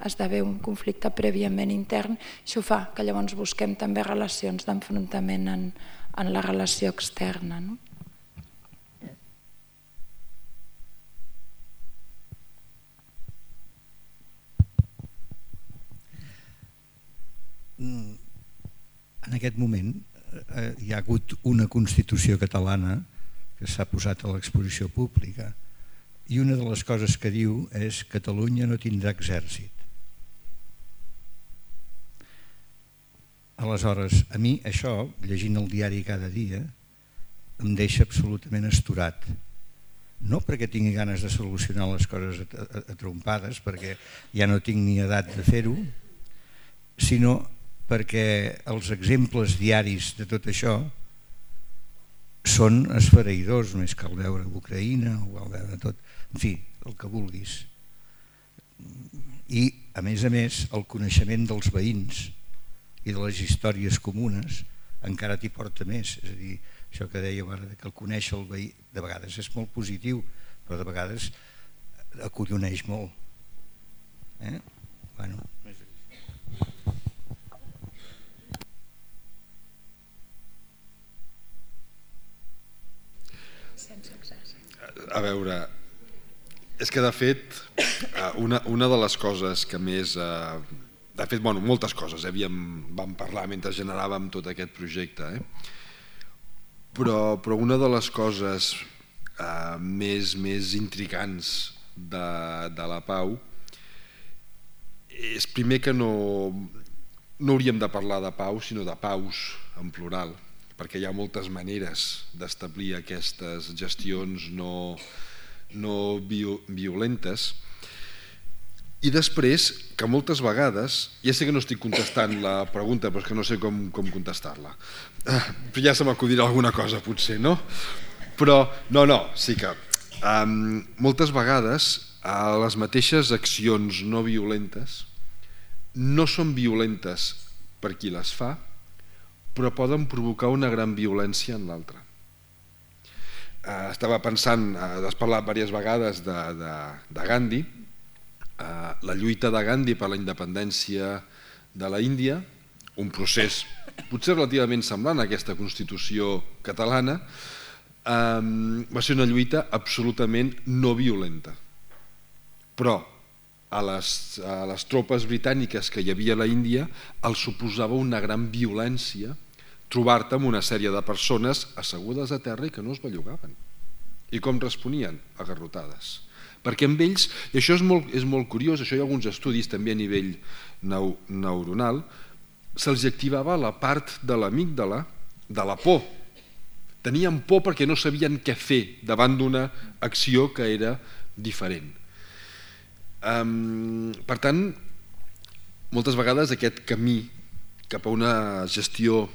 esdevé un conflicte prèviament intern. Això fa que llavors busquem també relacions d'enfrontament en la relació externa.
En aquest moment hi ha hagut una Constitució catalana que s'ha posat a l'exposició pública, i una de les coses que diu és que Catalunya no tindrà exèrcit. Aleshores, a mi això, llegint el diari cada dia, em deixa absolutament astorat. No perquè tingui ganes de solucionar les coses a trompades, perquè ja no tinc ni edat de fer-ho, sinó perquè els exemples diaris de tot això són esfereïdors, més que el veure Ucraïna o el veure tot, en fi, el que vulguis. I, a més, el coneixement dels veïns i de les històries comunes encara t'hi porta més. És a dir, això que dèieu ara, que el conèixer el veí de vegades és molt positiu, però de vegades acolloneix molt. Bueno,
a veure, és que de fet una de les coses que més, de fet, moltes coses vam parlar mentre generàvem tot aquest projecte, però una de les coses més intrigants de la pau és primer que no hauríem de parlar de pau sinó de paus en plural, perquè hi ha moltes maneres d'establir aquestes gestions no violentes. I després, que moltes vegades, ja sé que no estic contestant la pregunta, però és que no sé com contestar-la. Ja se m'acudirà alguna cosa, potser, no? Però, sí que moltes vegades les mateixes accions no violentes no són violentes per qui les fa, però poden provocar una gran violència en l'altre. Estava pensant, has parlat diverses vegades de Gandhi, la lluita de Gandhi per la independència de la Índia, un procés potser relativament semblant a aquesta Constitució catalana, va ser una lluita absolutament no violenta. Però a les tropes britàniques que hi havia a la Índia els suposava una gran violència trobar-te amb una sèrie de persones assegudes a terra i que no es bellugaven. I com responien? A garrotades. Perquè amb ells, i això és molt curiós, això hi ha alguns estudis també a nivell neuronal, se'ls activava la part de l'amígdala de la por. Tenien por perquè no sabien què fer davant d'una acció que era diferent. Per tant, moltes vegades aquest camí cap a una gestió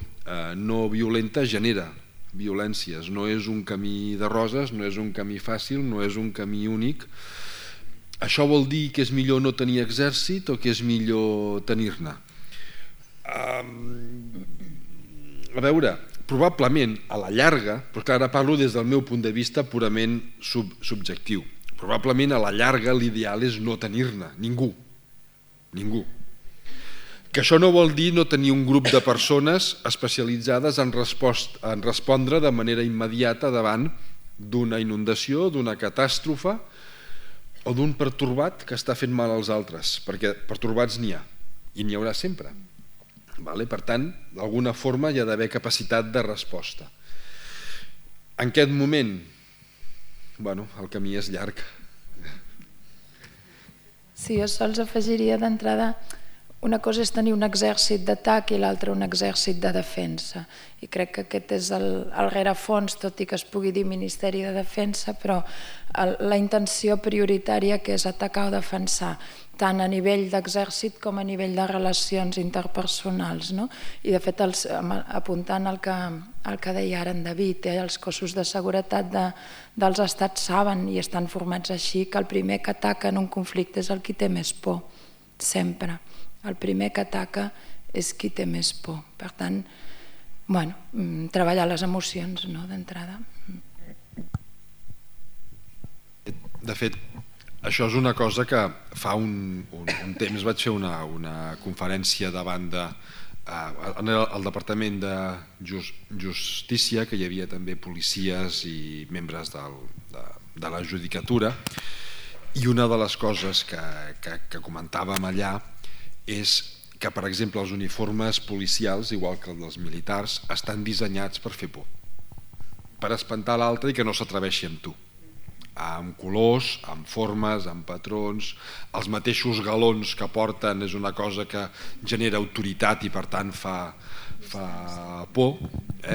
no violenta genera violències. No és un camí de roses, no és un camí fàcil, no és un camí únic. Això vol dir que és millor no tenir exèrcit o que és millor tenir-ne? A veure, probablement a la llarga, però ara parlo des del meu punt de vista purament subjectiu, probablement a la llarga l'ideal és no tenir-ne, ningú. Que això no vol dir no tenir un grup de persones especialitzades en respondre de manera immediata davant d'una inundació, d'una catàstrofe o d'un pertorbat que està fent mal als altres, perquè pertorbats n'hi ha, i n'hi haurà sempre. Per tant, d'alguna forma hi ha d'haver capacitat de resposta. En aquest moment, el camí és llarg.
Sí, jo sols afegiria d'entrada, una cosa és tenir un exèrcit d'atac i l'altra un exèrcit de defensa. I crec que aquest és el rerefons, tot i que es pugui dir Ministeri de Defensa, però la intenció prioritària que és atacar o defensar, tant a nivell d'exèrcit com a nivell de relacions interpersonals. I de fet, apuntant al que deia ara en David, els cossos de seguretat dels estats saben i estan formats així que el primer que ataca en un conflicte és el qui té més por, sempre. El primer que ataca és qui té més por. Per tant, treballar les emocions d'entrada.
De fet, això és una cosa que fa un temps vaig fer una conferència davant al Departament de Justícia, que hi havia també policies i membres de la judicatura, i una de les coses que comentàvem allà és que, per exemple, els uniformes policials, igual que els dels militars, estan dissenyats per fer por, per espantar l'altre i que no s'atreveixi amb tu, amb colors, amb formes, amb patrons. Els mateixos galons que porten és una cosa que genera autoritat i per tant fa por,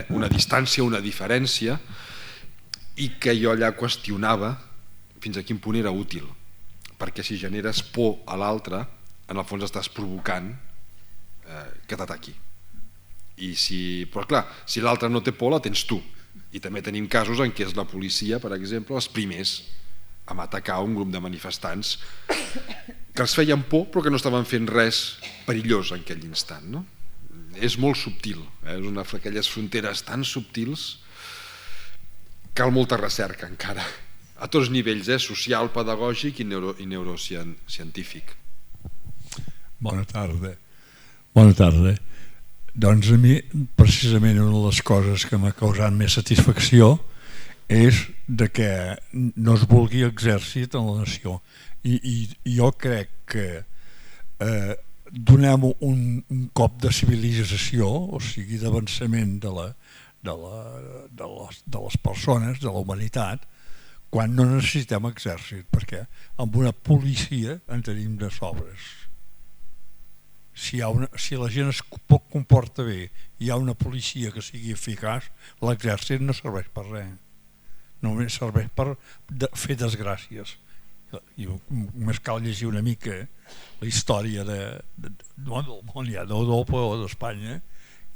una distància, una diferència, i que jo allà qüestionava fins a quin punt era útil, perquè si generes por a l'altre, en el fons estàs provocant que t'ataqui. Però clar, si l'altre no té por, la tens tu. I també tenim casos en què és la policia, per exemple, els primers a atacar un grup de manifestants que els feien por però que no estaven fent res perillós en aquell instant. És molt subtil, és una d'aquelles fronteres tan subtils. Cal molta recerca encara, a tots nivells, social, pedagògic i neurocientífic.
Bona tarda. Bona tarda. Doncs a mi, precisament, una de les coses que m'ha causat més satisfacció és que no es vulgui exèrcit en la nació. I jo crec que donem un cop de civilització, o sigui, d'avançament de les persones, de la humanitat, quan no necessitem exèrcit, perquè amb una policia en tenim de sobres. Si la gent es comporta bé i hi ha una policia que sigui eficaç, l'exèrcit no serveix per res, només serveix per fer desgràcies. I només cal llegir una mica la història del món, ja d'Europa o d'Espanya,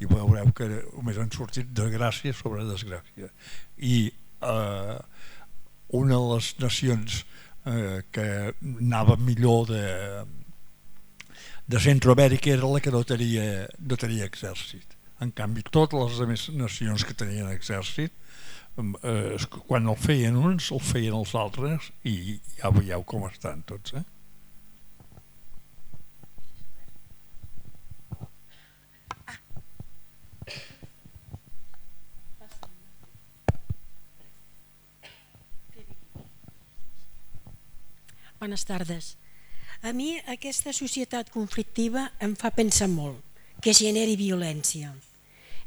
i veureu que només han sortit desgràcia sobre desgràcia. I una de les nacions que anava millor de Centroamèrica era la que no tenia exèrcit. En canvi, totes les altres nacions que tenien exèrcit, quan el feien uns, el feien els altres, i ja veieu com estan tots.
Bones tardes. A mi aquesta societat conflictiva em fa pensar molt, que generi violència.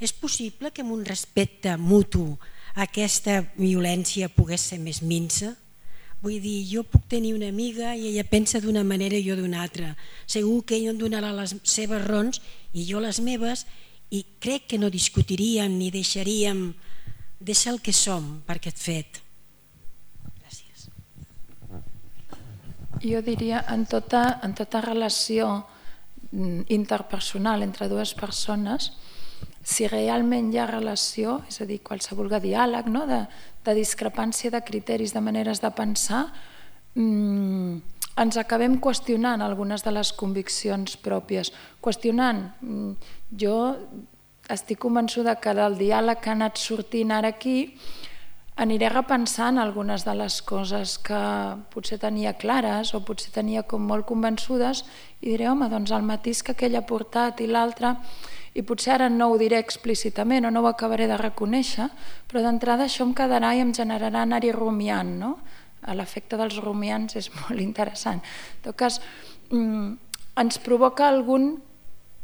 És possible que amb un respecte mutu aquesta violència pogués ser més minsa? Vull dir, jo puc tenir una amiga i ella pensa d'una manera i jo d'una altra. Segur que ella em donarà les seves raons i jo les meves, i crec que no discutiríem ni deixaríem de ser el que som per aquest fet. Gràcies.
Jo diria, en tota relació interpersonal entre dues persones, si realment hi ha relació, és a dir, qualsevol diàleg, de discrepància de criteris, de maneres de pensar, ens acabem qüestionant algunes de les conviccions pròpies. Qüestionant, jo estic convençuda que del diàleg que ha anat sortint ara aquí aniré repensant algunes de les coses que potser tenia clares o potser tenia com molt convençudes i diré, home, doncs el matís que aquell ha portat i l'altre, i potser ara no ho diré explícitament o no ho acabaré de reconèixer, però d'entrada això em quedarà i em generarà anar-hi rumiant, no? L'efecte dels rumiants és molt interessant. En tot cas, ens provoca algun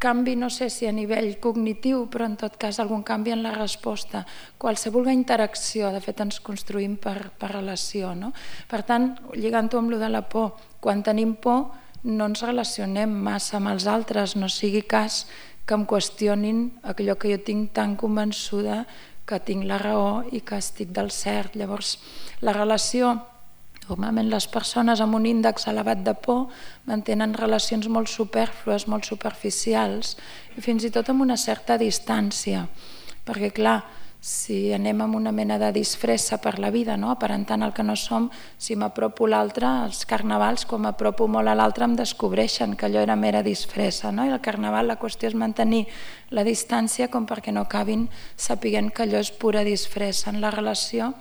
canvi, no sé si a nivell cognitiu, però en tot cas algun canvi en la resposta. Qualsevol interacció, de fet ens construïm per relació, no? Per tant, lligant-ho amb lo de la por, quan tenim por no ens relacionem massa amb els altres, no sigui cas que em qüestionin allò que jo tinc tan convençuda que tinc la raó i que estic del cert. Llavors, la relació, normalment les persones amb un índex elevat de por mantenen relacions molt supèrflues, molt superficials i fins i tot amb una certa distància, perquè clar, si anem amb una mena de disfressa per la vida, aparentant el que no som, si m'apropo l'altre, els carnavals, quan m'apropo molt a l'altre em descobreixen que allò era mera disfressa, i el carnaval la qüestió és mantenir la distància com perquè no acabin sapiguent que allò és pura disfressa. En la relació,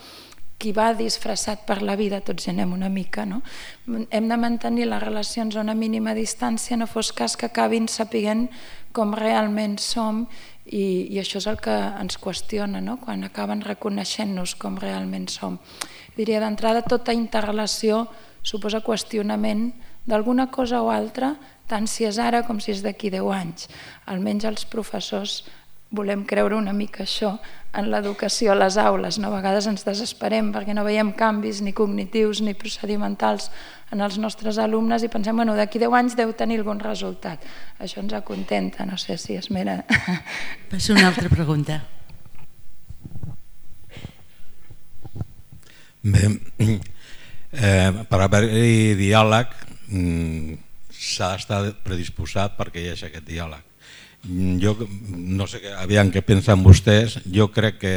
qui va disfressat per la vida, tots hi anem una mica, hem de mantenir les relacions a una mínima distància, no fos cas que acabin sapiguent com realment som, i això és el que ens qüestiona, quan acaben reconeixent-nos com realment som. Diria, d'entrada, tota interrelació suposa qüestionament d'alguna cosa o altra, tant si és ara com si és d'aquí 10 anys. Almenys els professors volem creure una mica això en l'educació a les aules. A vegades ens desesperem perquè no veiem canvis ni cognitius ni procedimentals en els nostres alumnes i pensem, d'aquí 10 anys deu tenir algun resultat. Això ens acontenta, no sé si és mera...
Passo una altra pregunta.
Bé, per haver-hi diàleg s'ha d'estar predisposat perquè hi hagi aquest diàleg. Jo no sé, aviam què pensen vostès, jo crec que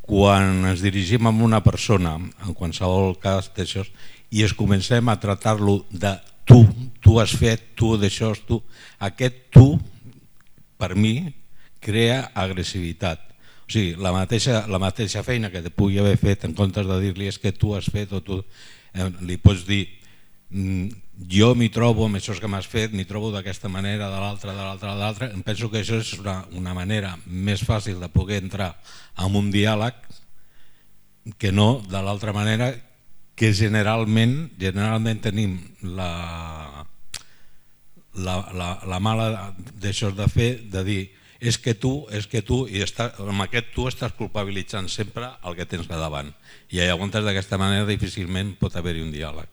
quan ens dirigim a una persona, en qualsevol cas d'això, i es comencem a tractar-lo de tu has fet, tu d'això, tu, aquest tu, per mi, crea agressivitat. O sigui, la mateixa feina que te pugui haver fet, en comptes de dir-li és que tu has fet o tu, li pots dir jo m'hi trobo amb això que m'has fet, m'hi trobo d'aquesta manera, de l'altra. Em penso que això és una manera més fàcil de poder entrar en un diàleg que no de l'altra manera, que generalment tenim la mala d'això de fer, de dir és que tu, i amb aquest tu estàs culpabilitzant sempre el que tens a davant. I llavors d'aquesta manera difícilment pot haver-hi un diàleg.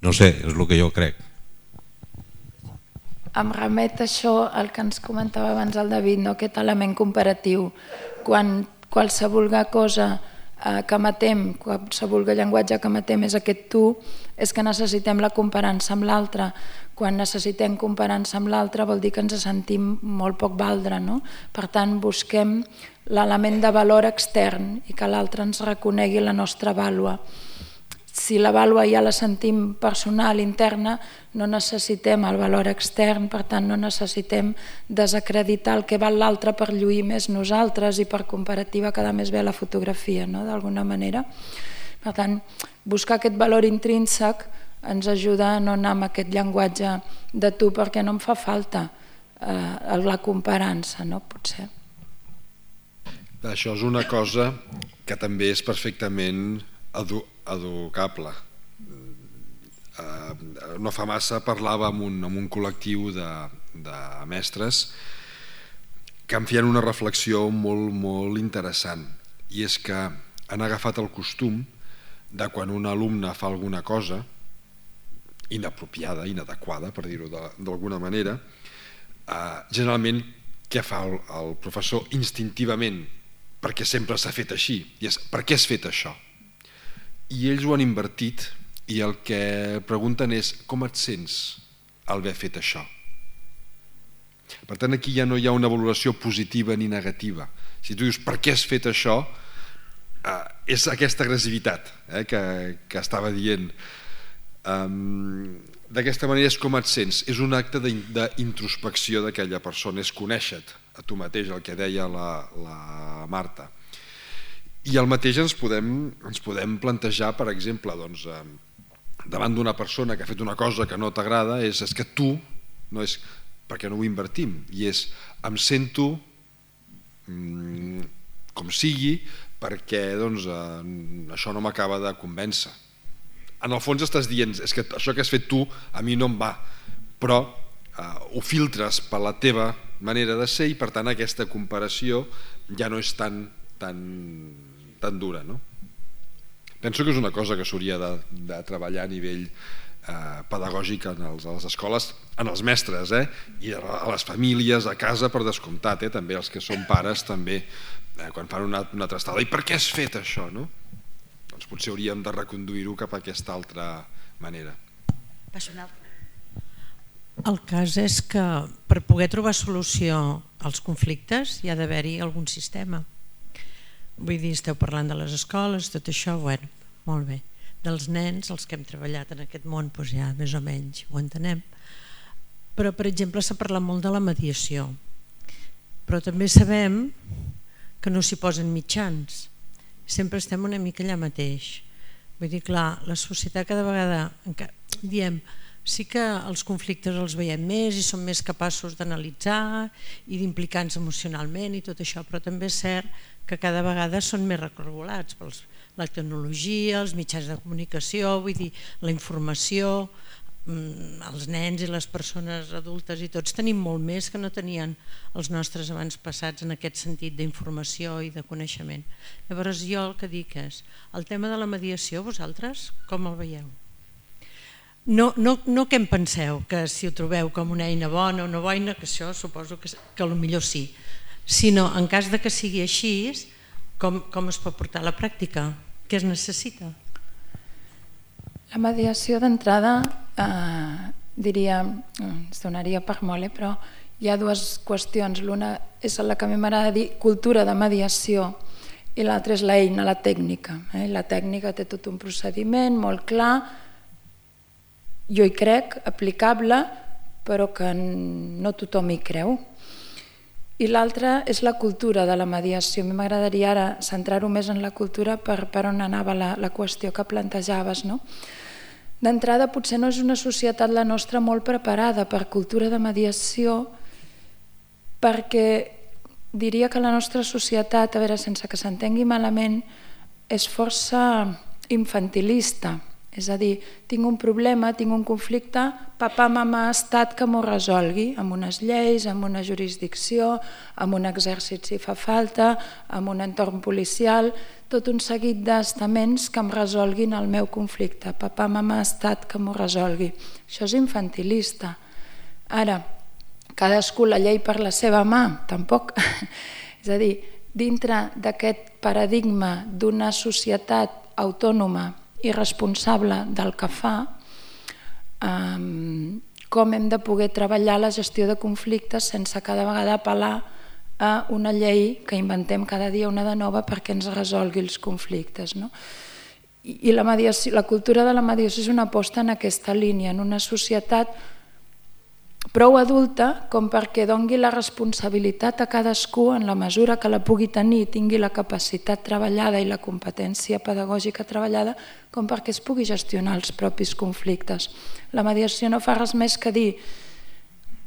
No sé, és el que jo crec.
Em remet això al que ens comentava abans el David, aquest element comparatiu. Quan qualsevol cosa que matem, qualsevol llenguatge que matem és aquest tu, és que necessitem la comparança amb l'altre. Quan necessitem comparança amb l'altre vol dir que ens sentim molt poc valdre. Per tant, busquem l'element de valor extern i que l'altre ens reconegui la nostra vàlua. Si la vàlua ja la sentim personal, interna, no necessitem el valor extern, per tant no necessitem desacreditar el que val l'altre per lluir més nosaltres i per comparativa quedar més bé a la fotografia, d'alguna manera. Per tant, buscar aquest valor intrínsec ens ajuda a no anar amb aquest llenguatge de tu perquè no em fa falta la comparança, potser.
Això és una cosa que també és perfectament educable. No fa massa parlava amb un col·lectiu de mestres que em feien una reflexió molt interessant, i és que han agafat el costum de quan un alumne fa alguna cosa inapropiada, inadequada, per dir-ho d'alguna manera, generalment què fa el professor instintivament, perquè sempre s'ha fet així, i és per què has fet això? I ells ho han invertit i el que pregunten és com et sents al haver fet això? Per tant, aquí ja no hi ha una valoració positiva ni negativa. Si tu dius per què has fet això, és aquesta agressivitat que estava dient. D'aquesta manera és com et sents, és un acte d'introspecció d'aquella persona, és conèixer-te a tu mateix, el que deia la Marta. I el mateix ens podem plantejar, per exemple, davant d'una persona que ha fet una cosa que no t'agrada, és que tu, no és perquè no ho invertim, i és em sento com sigui perquè això no m'acaba de convèncer. En el fons estàs dient és que això que has fet tu a mi no em va, però ho filtres per la teva manera de ser i per tant aquesta comparació ja no és tan dura. Penso que és una cosa que s'hauria de treballar a nivell pedagògic a les escoles, en els mestres, i a les famílies, a casa, per descomptat, també els que són pares, també, quan fan una altra estada. I per què has fet això? Doncs potser hauríem de reconduir-ho cap a aquesta altra manera.
El cas és que per poder trobar solució als conflictes hi ha d'haver-hi algun sistema. Vull dir, esteu parlant de les escoles, tot això, bueno, molt bé. Dels nens, els que hem treballat en aquest món, doncs ja més o menys ho entenem. Però, per exemple, s'ha parlat molt de la mediació. Però també sabem que no s'hi posen mitjans. Sempre estem una mica allà mateix. Vull dir, clar, la societat cada vegada diem sí que els conflictes els veiem més i som més capaços d'analitzar i d'implicar-nos emocionalment i tot això, però també és cert que cada vegada són més regulats per la tecnologia, els mitjans de comunicació, vull dir, la informació, els nens i les persones adultes i tots tenim molt més que no tenien els nostres abans passats en aquest sentit d'informació i de coneixement. Llavors jo el que dic és, el tema de la mediació, vosaltres com el veieu? No què en penseu, que si ho trobeu com una eina bona o no bona, que això suposo que potser sí, sinó en cas de que sigui així, com es pot portar a la pràctica? Què es necessita?
La mediació d'entrada, diria, es donaria per molt, però hi ha dues qüestions. L'una és la que a mi m'agrada dir cultura de mediació i l'altra és l'eina, la tècnica. La tècnica té tot un procediment molt clar, jo hi crec, aplicable, però que no tothom hi creu. I l'altra és la cultura de la mediació. A mi m'agradaria ara centrar-ho més en la cultura per on anava la qüestió que plantejaves. D'entrada, potser no és una societat la nostra molt preparada per cultura de mediació, perquè diria que la nostra societat, a veure, sense que s'entengui malament, és força infantilista. És a dir, tinc un problema, tinc un conflicte, papà, mamà, estat que m'ho resolgui, amb unes lleis, amb una jurisdicció, amb un exèrcit si fa falta, amb un entorn policial, tot un seguit d'estaments que em resolguin el meu conflicte. Papà, mamà, estat que m'ho resolgui. Això és infantilista. Ara, cadascú la llei per la seva mà, tampoc. És a dir, dintre d'aquest paradigma d'una societat autònoma i responsable del que fa, com hem de poder treballar la gestió de conflictes sense cada vegada apel·lar a una llei que inventem cada dia una de nova perquè ens resolgui els conflictes. I la cultura de la mediació és una aposta en aquesta línia, en una societat prou adulta com perquè doni la responsabilitat a cadascú en la mesura que la pugui tenir, tingui la capacitat treballada i la competència pedagògica treballada, com perquè es pugui gestionar els propis conflictes. La mediació no fa res més que dir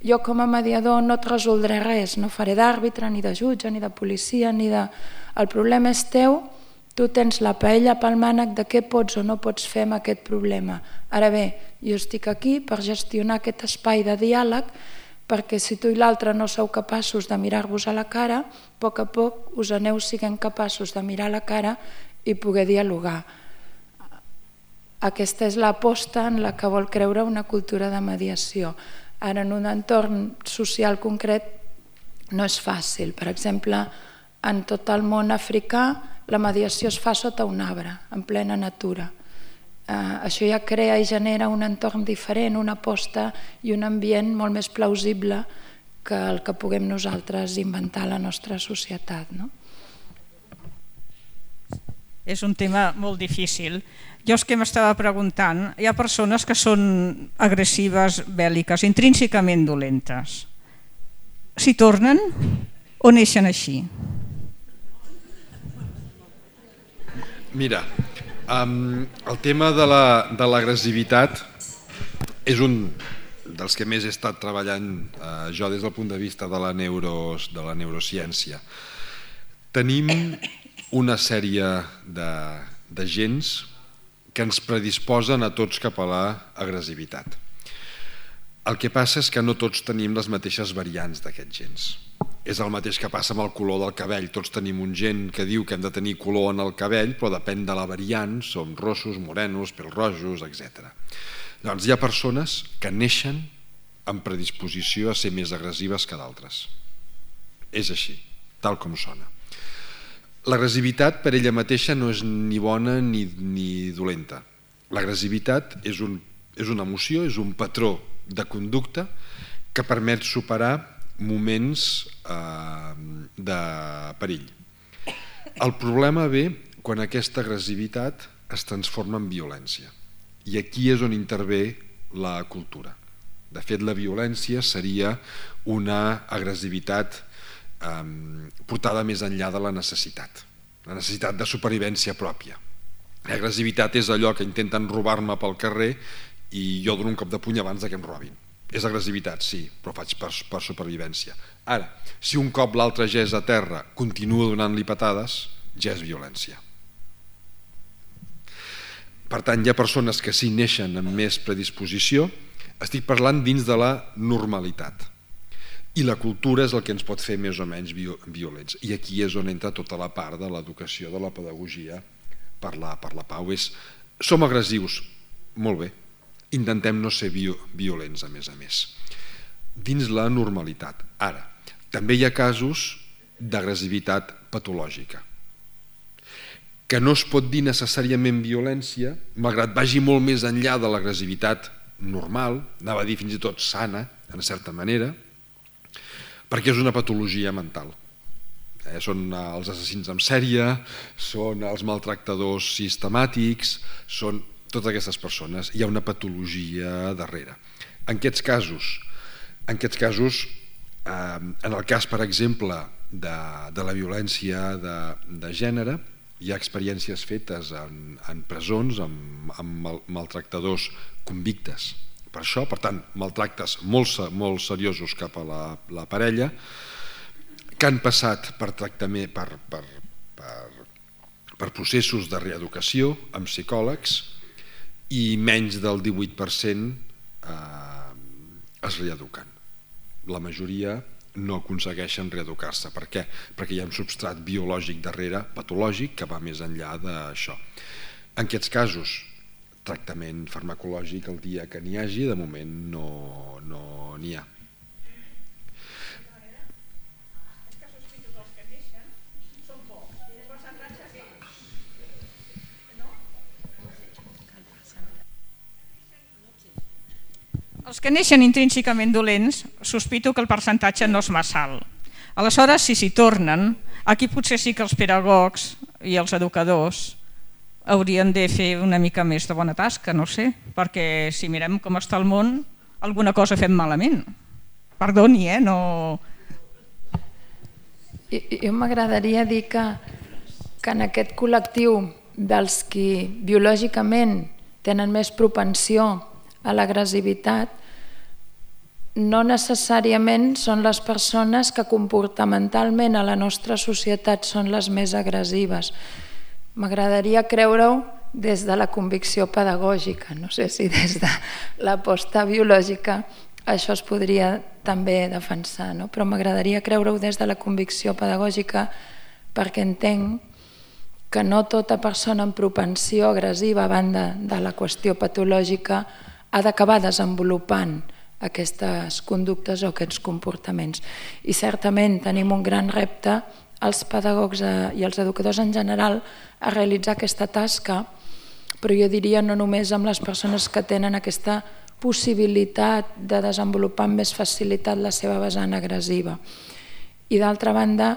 jo com a mediador no et resoldré res, no faré d'àrbitre, ni de jutge, ni de policia, ni de... El problema és teu, tu tens la paella pel mànec de què pots o no pots fer amb aquest problema. Ara bé, jo estic aquí per gestionar aquest espai de diàleg perquè si tu i l'altre no sou capaços de mirar-vos a la cara, a poc us aneu siguent capaços de mirar a la cara i poder dialogar. Aquesta és l'aposta en la que vol creure una cultura de mediació. Ara, en un entorn social concret no és fàcil. Per exemple, en tot el món africà la mediació es fa sota un arbre, en plena natura. Això ja crea i genera un entorn diferent, una aposta i un ambient molt més plausible que el que puguem nosaltres inventar a la nostra societat.
És un tema molt difícil. Jo és que m'estava preguntant, hi ha persones que són agressives, bèl·liques, intrínsecament dolentes. S'hi tornen o neixen així?
Mira, el tema de l'agressivitat és un dels que més he estat treballant jo des del punt de vista de la neurociència. Tenim una sèrie de gens que ens predisposen a tots cap a l'agressivitat. El que passa és que no tots tenim les mateixes variants d'aquests gens. És el mateix que passa amb el color del cabell. Tots tenim un gen que diu que hem de tenir color en el cabell, però depèn de la variant, som rossos, morenos, pèl-rojos, etc. Llavors hi ha persones que neixen amb predisposició a ser més agressives que d'altres. És així, tal com sona. L'agressivitat per ella mateixa no és ni bona ni dolenta. L'agressivitat és una emoció, és un patró de conducta que permet superar moments de perill. El problema ve quan aquesta agressivitat es transforma en violència. I aquí és on intervé la cultura. De fet, la violència seria una agressivitat portada més enllà de la necessitat de supervivència pròpia. L'agressivitat és allò que intenten robar-me pel carrer i jo dono un cop de puny abans que em robin. És agressivitat, sí, però faig per supervivència. Ara, si un cop l'altre ja és a terra, continua donant-li patades, ja és violència. Per tant, hi ha persones que sí neixen amb més predisposició. Estic parlant dins de la normalitat. I la cultura és el que ens pot fer més o menys violents. I aquí és on entra tota la part de l'educació, de la pedagogia per la pau. Som agressius, molt bé. Intentem no ser violents, a més. Dins la normalitat. Ara, també hi ha casos d'agressivitat patològica, que no es pot dir necessàriament violència, malgrat vagi molt més enllà de l'agressivitat normal, anava a dir fins i tot sana, en certa manera, perquè és una patologia mental. Són els assassins en sèrie, són els maltractadors sistemàtics, són totes aquestes persones. Hi ha una patologia darrere. En aquests casos, en el cas, per exemple, de la violència de gènere, hi ha experiències fetes en presons amb maltractadors convictes per això, per tant, maltractes molt seriosos cap a la parella, que han passat per tractament, per processos de reeducació amb psicòlegs, i menys del 18% es reeduquen. La majoria no aconsegueixen reeducar-se. Per què? Perquè hi ha un substrat biològic darrere, patològic, que va més enllà d'això. En aquests casos, tractament farmacològic el dia que n'hi hagi, de moment no n'hi ha.
Els que neixen intrínsecament dolents, sospito que el percentatge no és massa alt. Aleshores, si s'hi tornen, aquí potser sí que els pedagogs i els educadors haurien de fer una mica més de bona tasca, no sé, perquè si mirem com està el món, alguna cosa fem malament. Perdoni, no...
Jo m'agradaria dir que en aquest col·lectiu dels qui biològicament tenen més propensió a l'agressivitat, no necessàriament són les persones que comportamentalment a la nostra societat són les més agressives. M'agradaria creure-ho des de la convicció pedagògica, no sé si des de l'aposta biològica això es podria també defensar, però m'agradaria creure-ho des de la convicció pedagògica perquè entenc que no tota persona amb propensió agressiva a banda de la qüestió patològica ha d'acabar desenvolupant aquestes conductes o aquests comportaments. I certament tenim un gran repte, els pedagogs i els educadors en general, a realitzar aquesta tasca, però jo diria no només amb les persones que tenen aquesta possibilitat de desenvolupar amb més facilitat la seva vessant agressiva. I d'altra banda,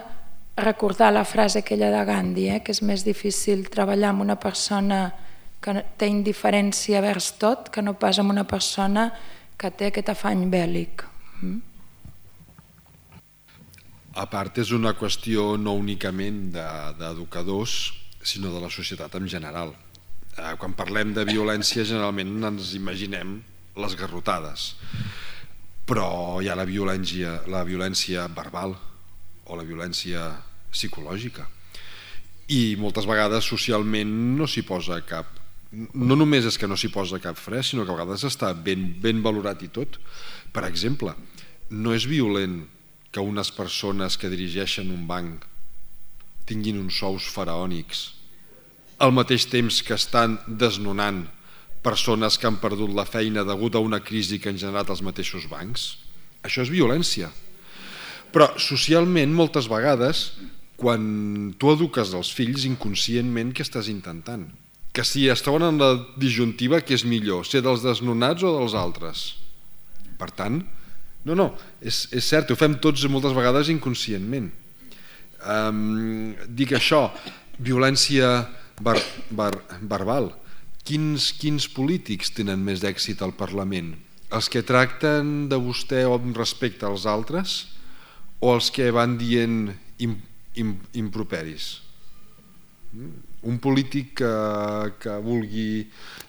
recordar la frase aquella de Gandhi, que és més difícil treballar amb una persona que té indiferència vers tot que no pas amb una persona que té aquest afany bèl·lic.
A part, és una qüestió no únicament d'educadors, sinó de la societat en general. Quan parlem de violència, generalment ens imaginem les garrotades, però hi ha la violència verbal o la violència psicològica. I moltes vegades socialment no s'hi posa cap... No només és que no s'hi posa cap fre, sinó que a vegades està ben valorat i tot. Per exemple, no és violent que unes persones que dirigeixen un banc tinguin uns sous faraònics al mateix temps que estan desnonant persones que han perdut la feina degut a una crisi que han generat els mateixos bancs. Això és violència. Però socialment, moltes vegades, quan tu eduques els fills, inconscientment, què estàs intentant? Que si es troben en la disjuntiva, què és millor, ser dels desnonats o dels altres? Per tant, no, és cert, ho fem tots moltes vegades inconscientment. Dic això, violència verbal. Quins polítics tenen més èxit al Parlament? Els que tracten de vostè amb respecte als altres o els que van dient improperis? Un polític que vulgui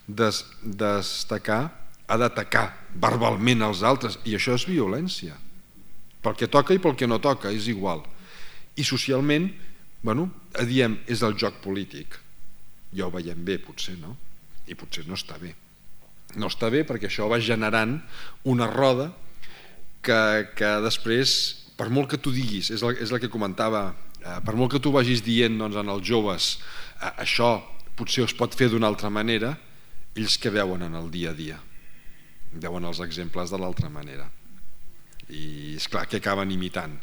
destacar ha d'atacar verbalment els altres, i això és violència. Pel que toca i pel que no toca, és igual. I socialment, diem, és el joc polític. Ja ho veiem bé, potser, no? I potser no està bé. No està bé perquè això va generant una roda que després, per molt que tu diguis, és el que comentava, per molt que tu vagis dient als joves això potser es pot fer d'una altra manera, ells que veuen en el dia a dia, veuen els exemples de l'altra manera, i és clar que acaben imitant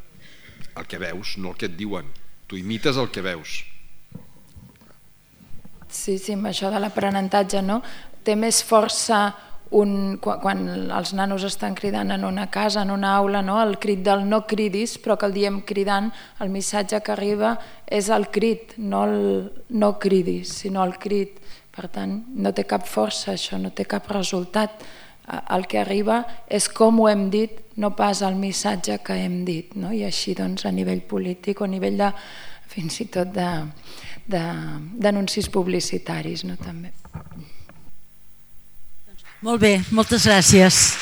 el que veus, no el que et diuen. Tu imites el que veus.
Sí, amb això de l'aprenentatge, no? Té més força quan els nanos estan cridant en una casa, en una aula, el crit del no cridis, però que el diem cridant, el missatge que arriba és el crit, no el no cridis, sinó el crit. Per tant, no té cap força això, no té cap resultat. El que arriba és com ho hem dit, no pas el missatge que hem dit, i així a nivell polític o a nivell de, fins i tot d'anuncis publicitaris també.
Molt bé, moltes gràcies.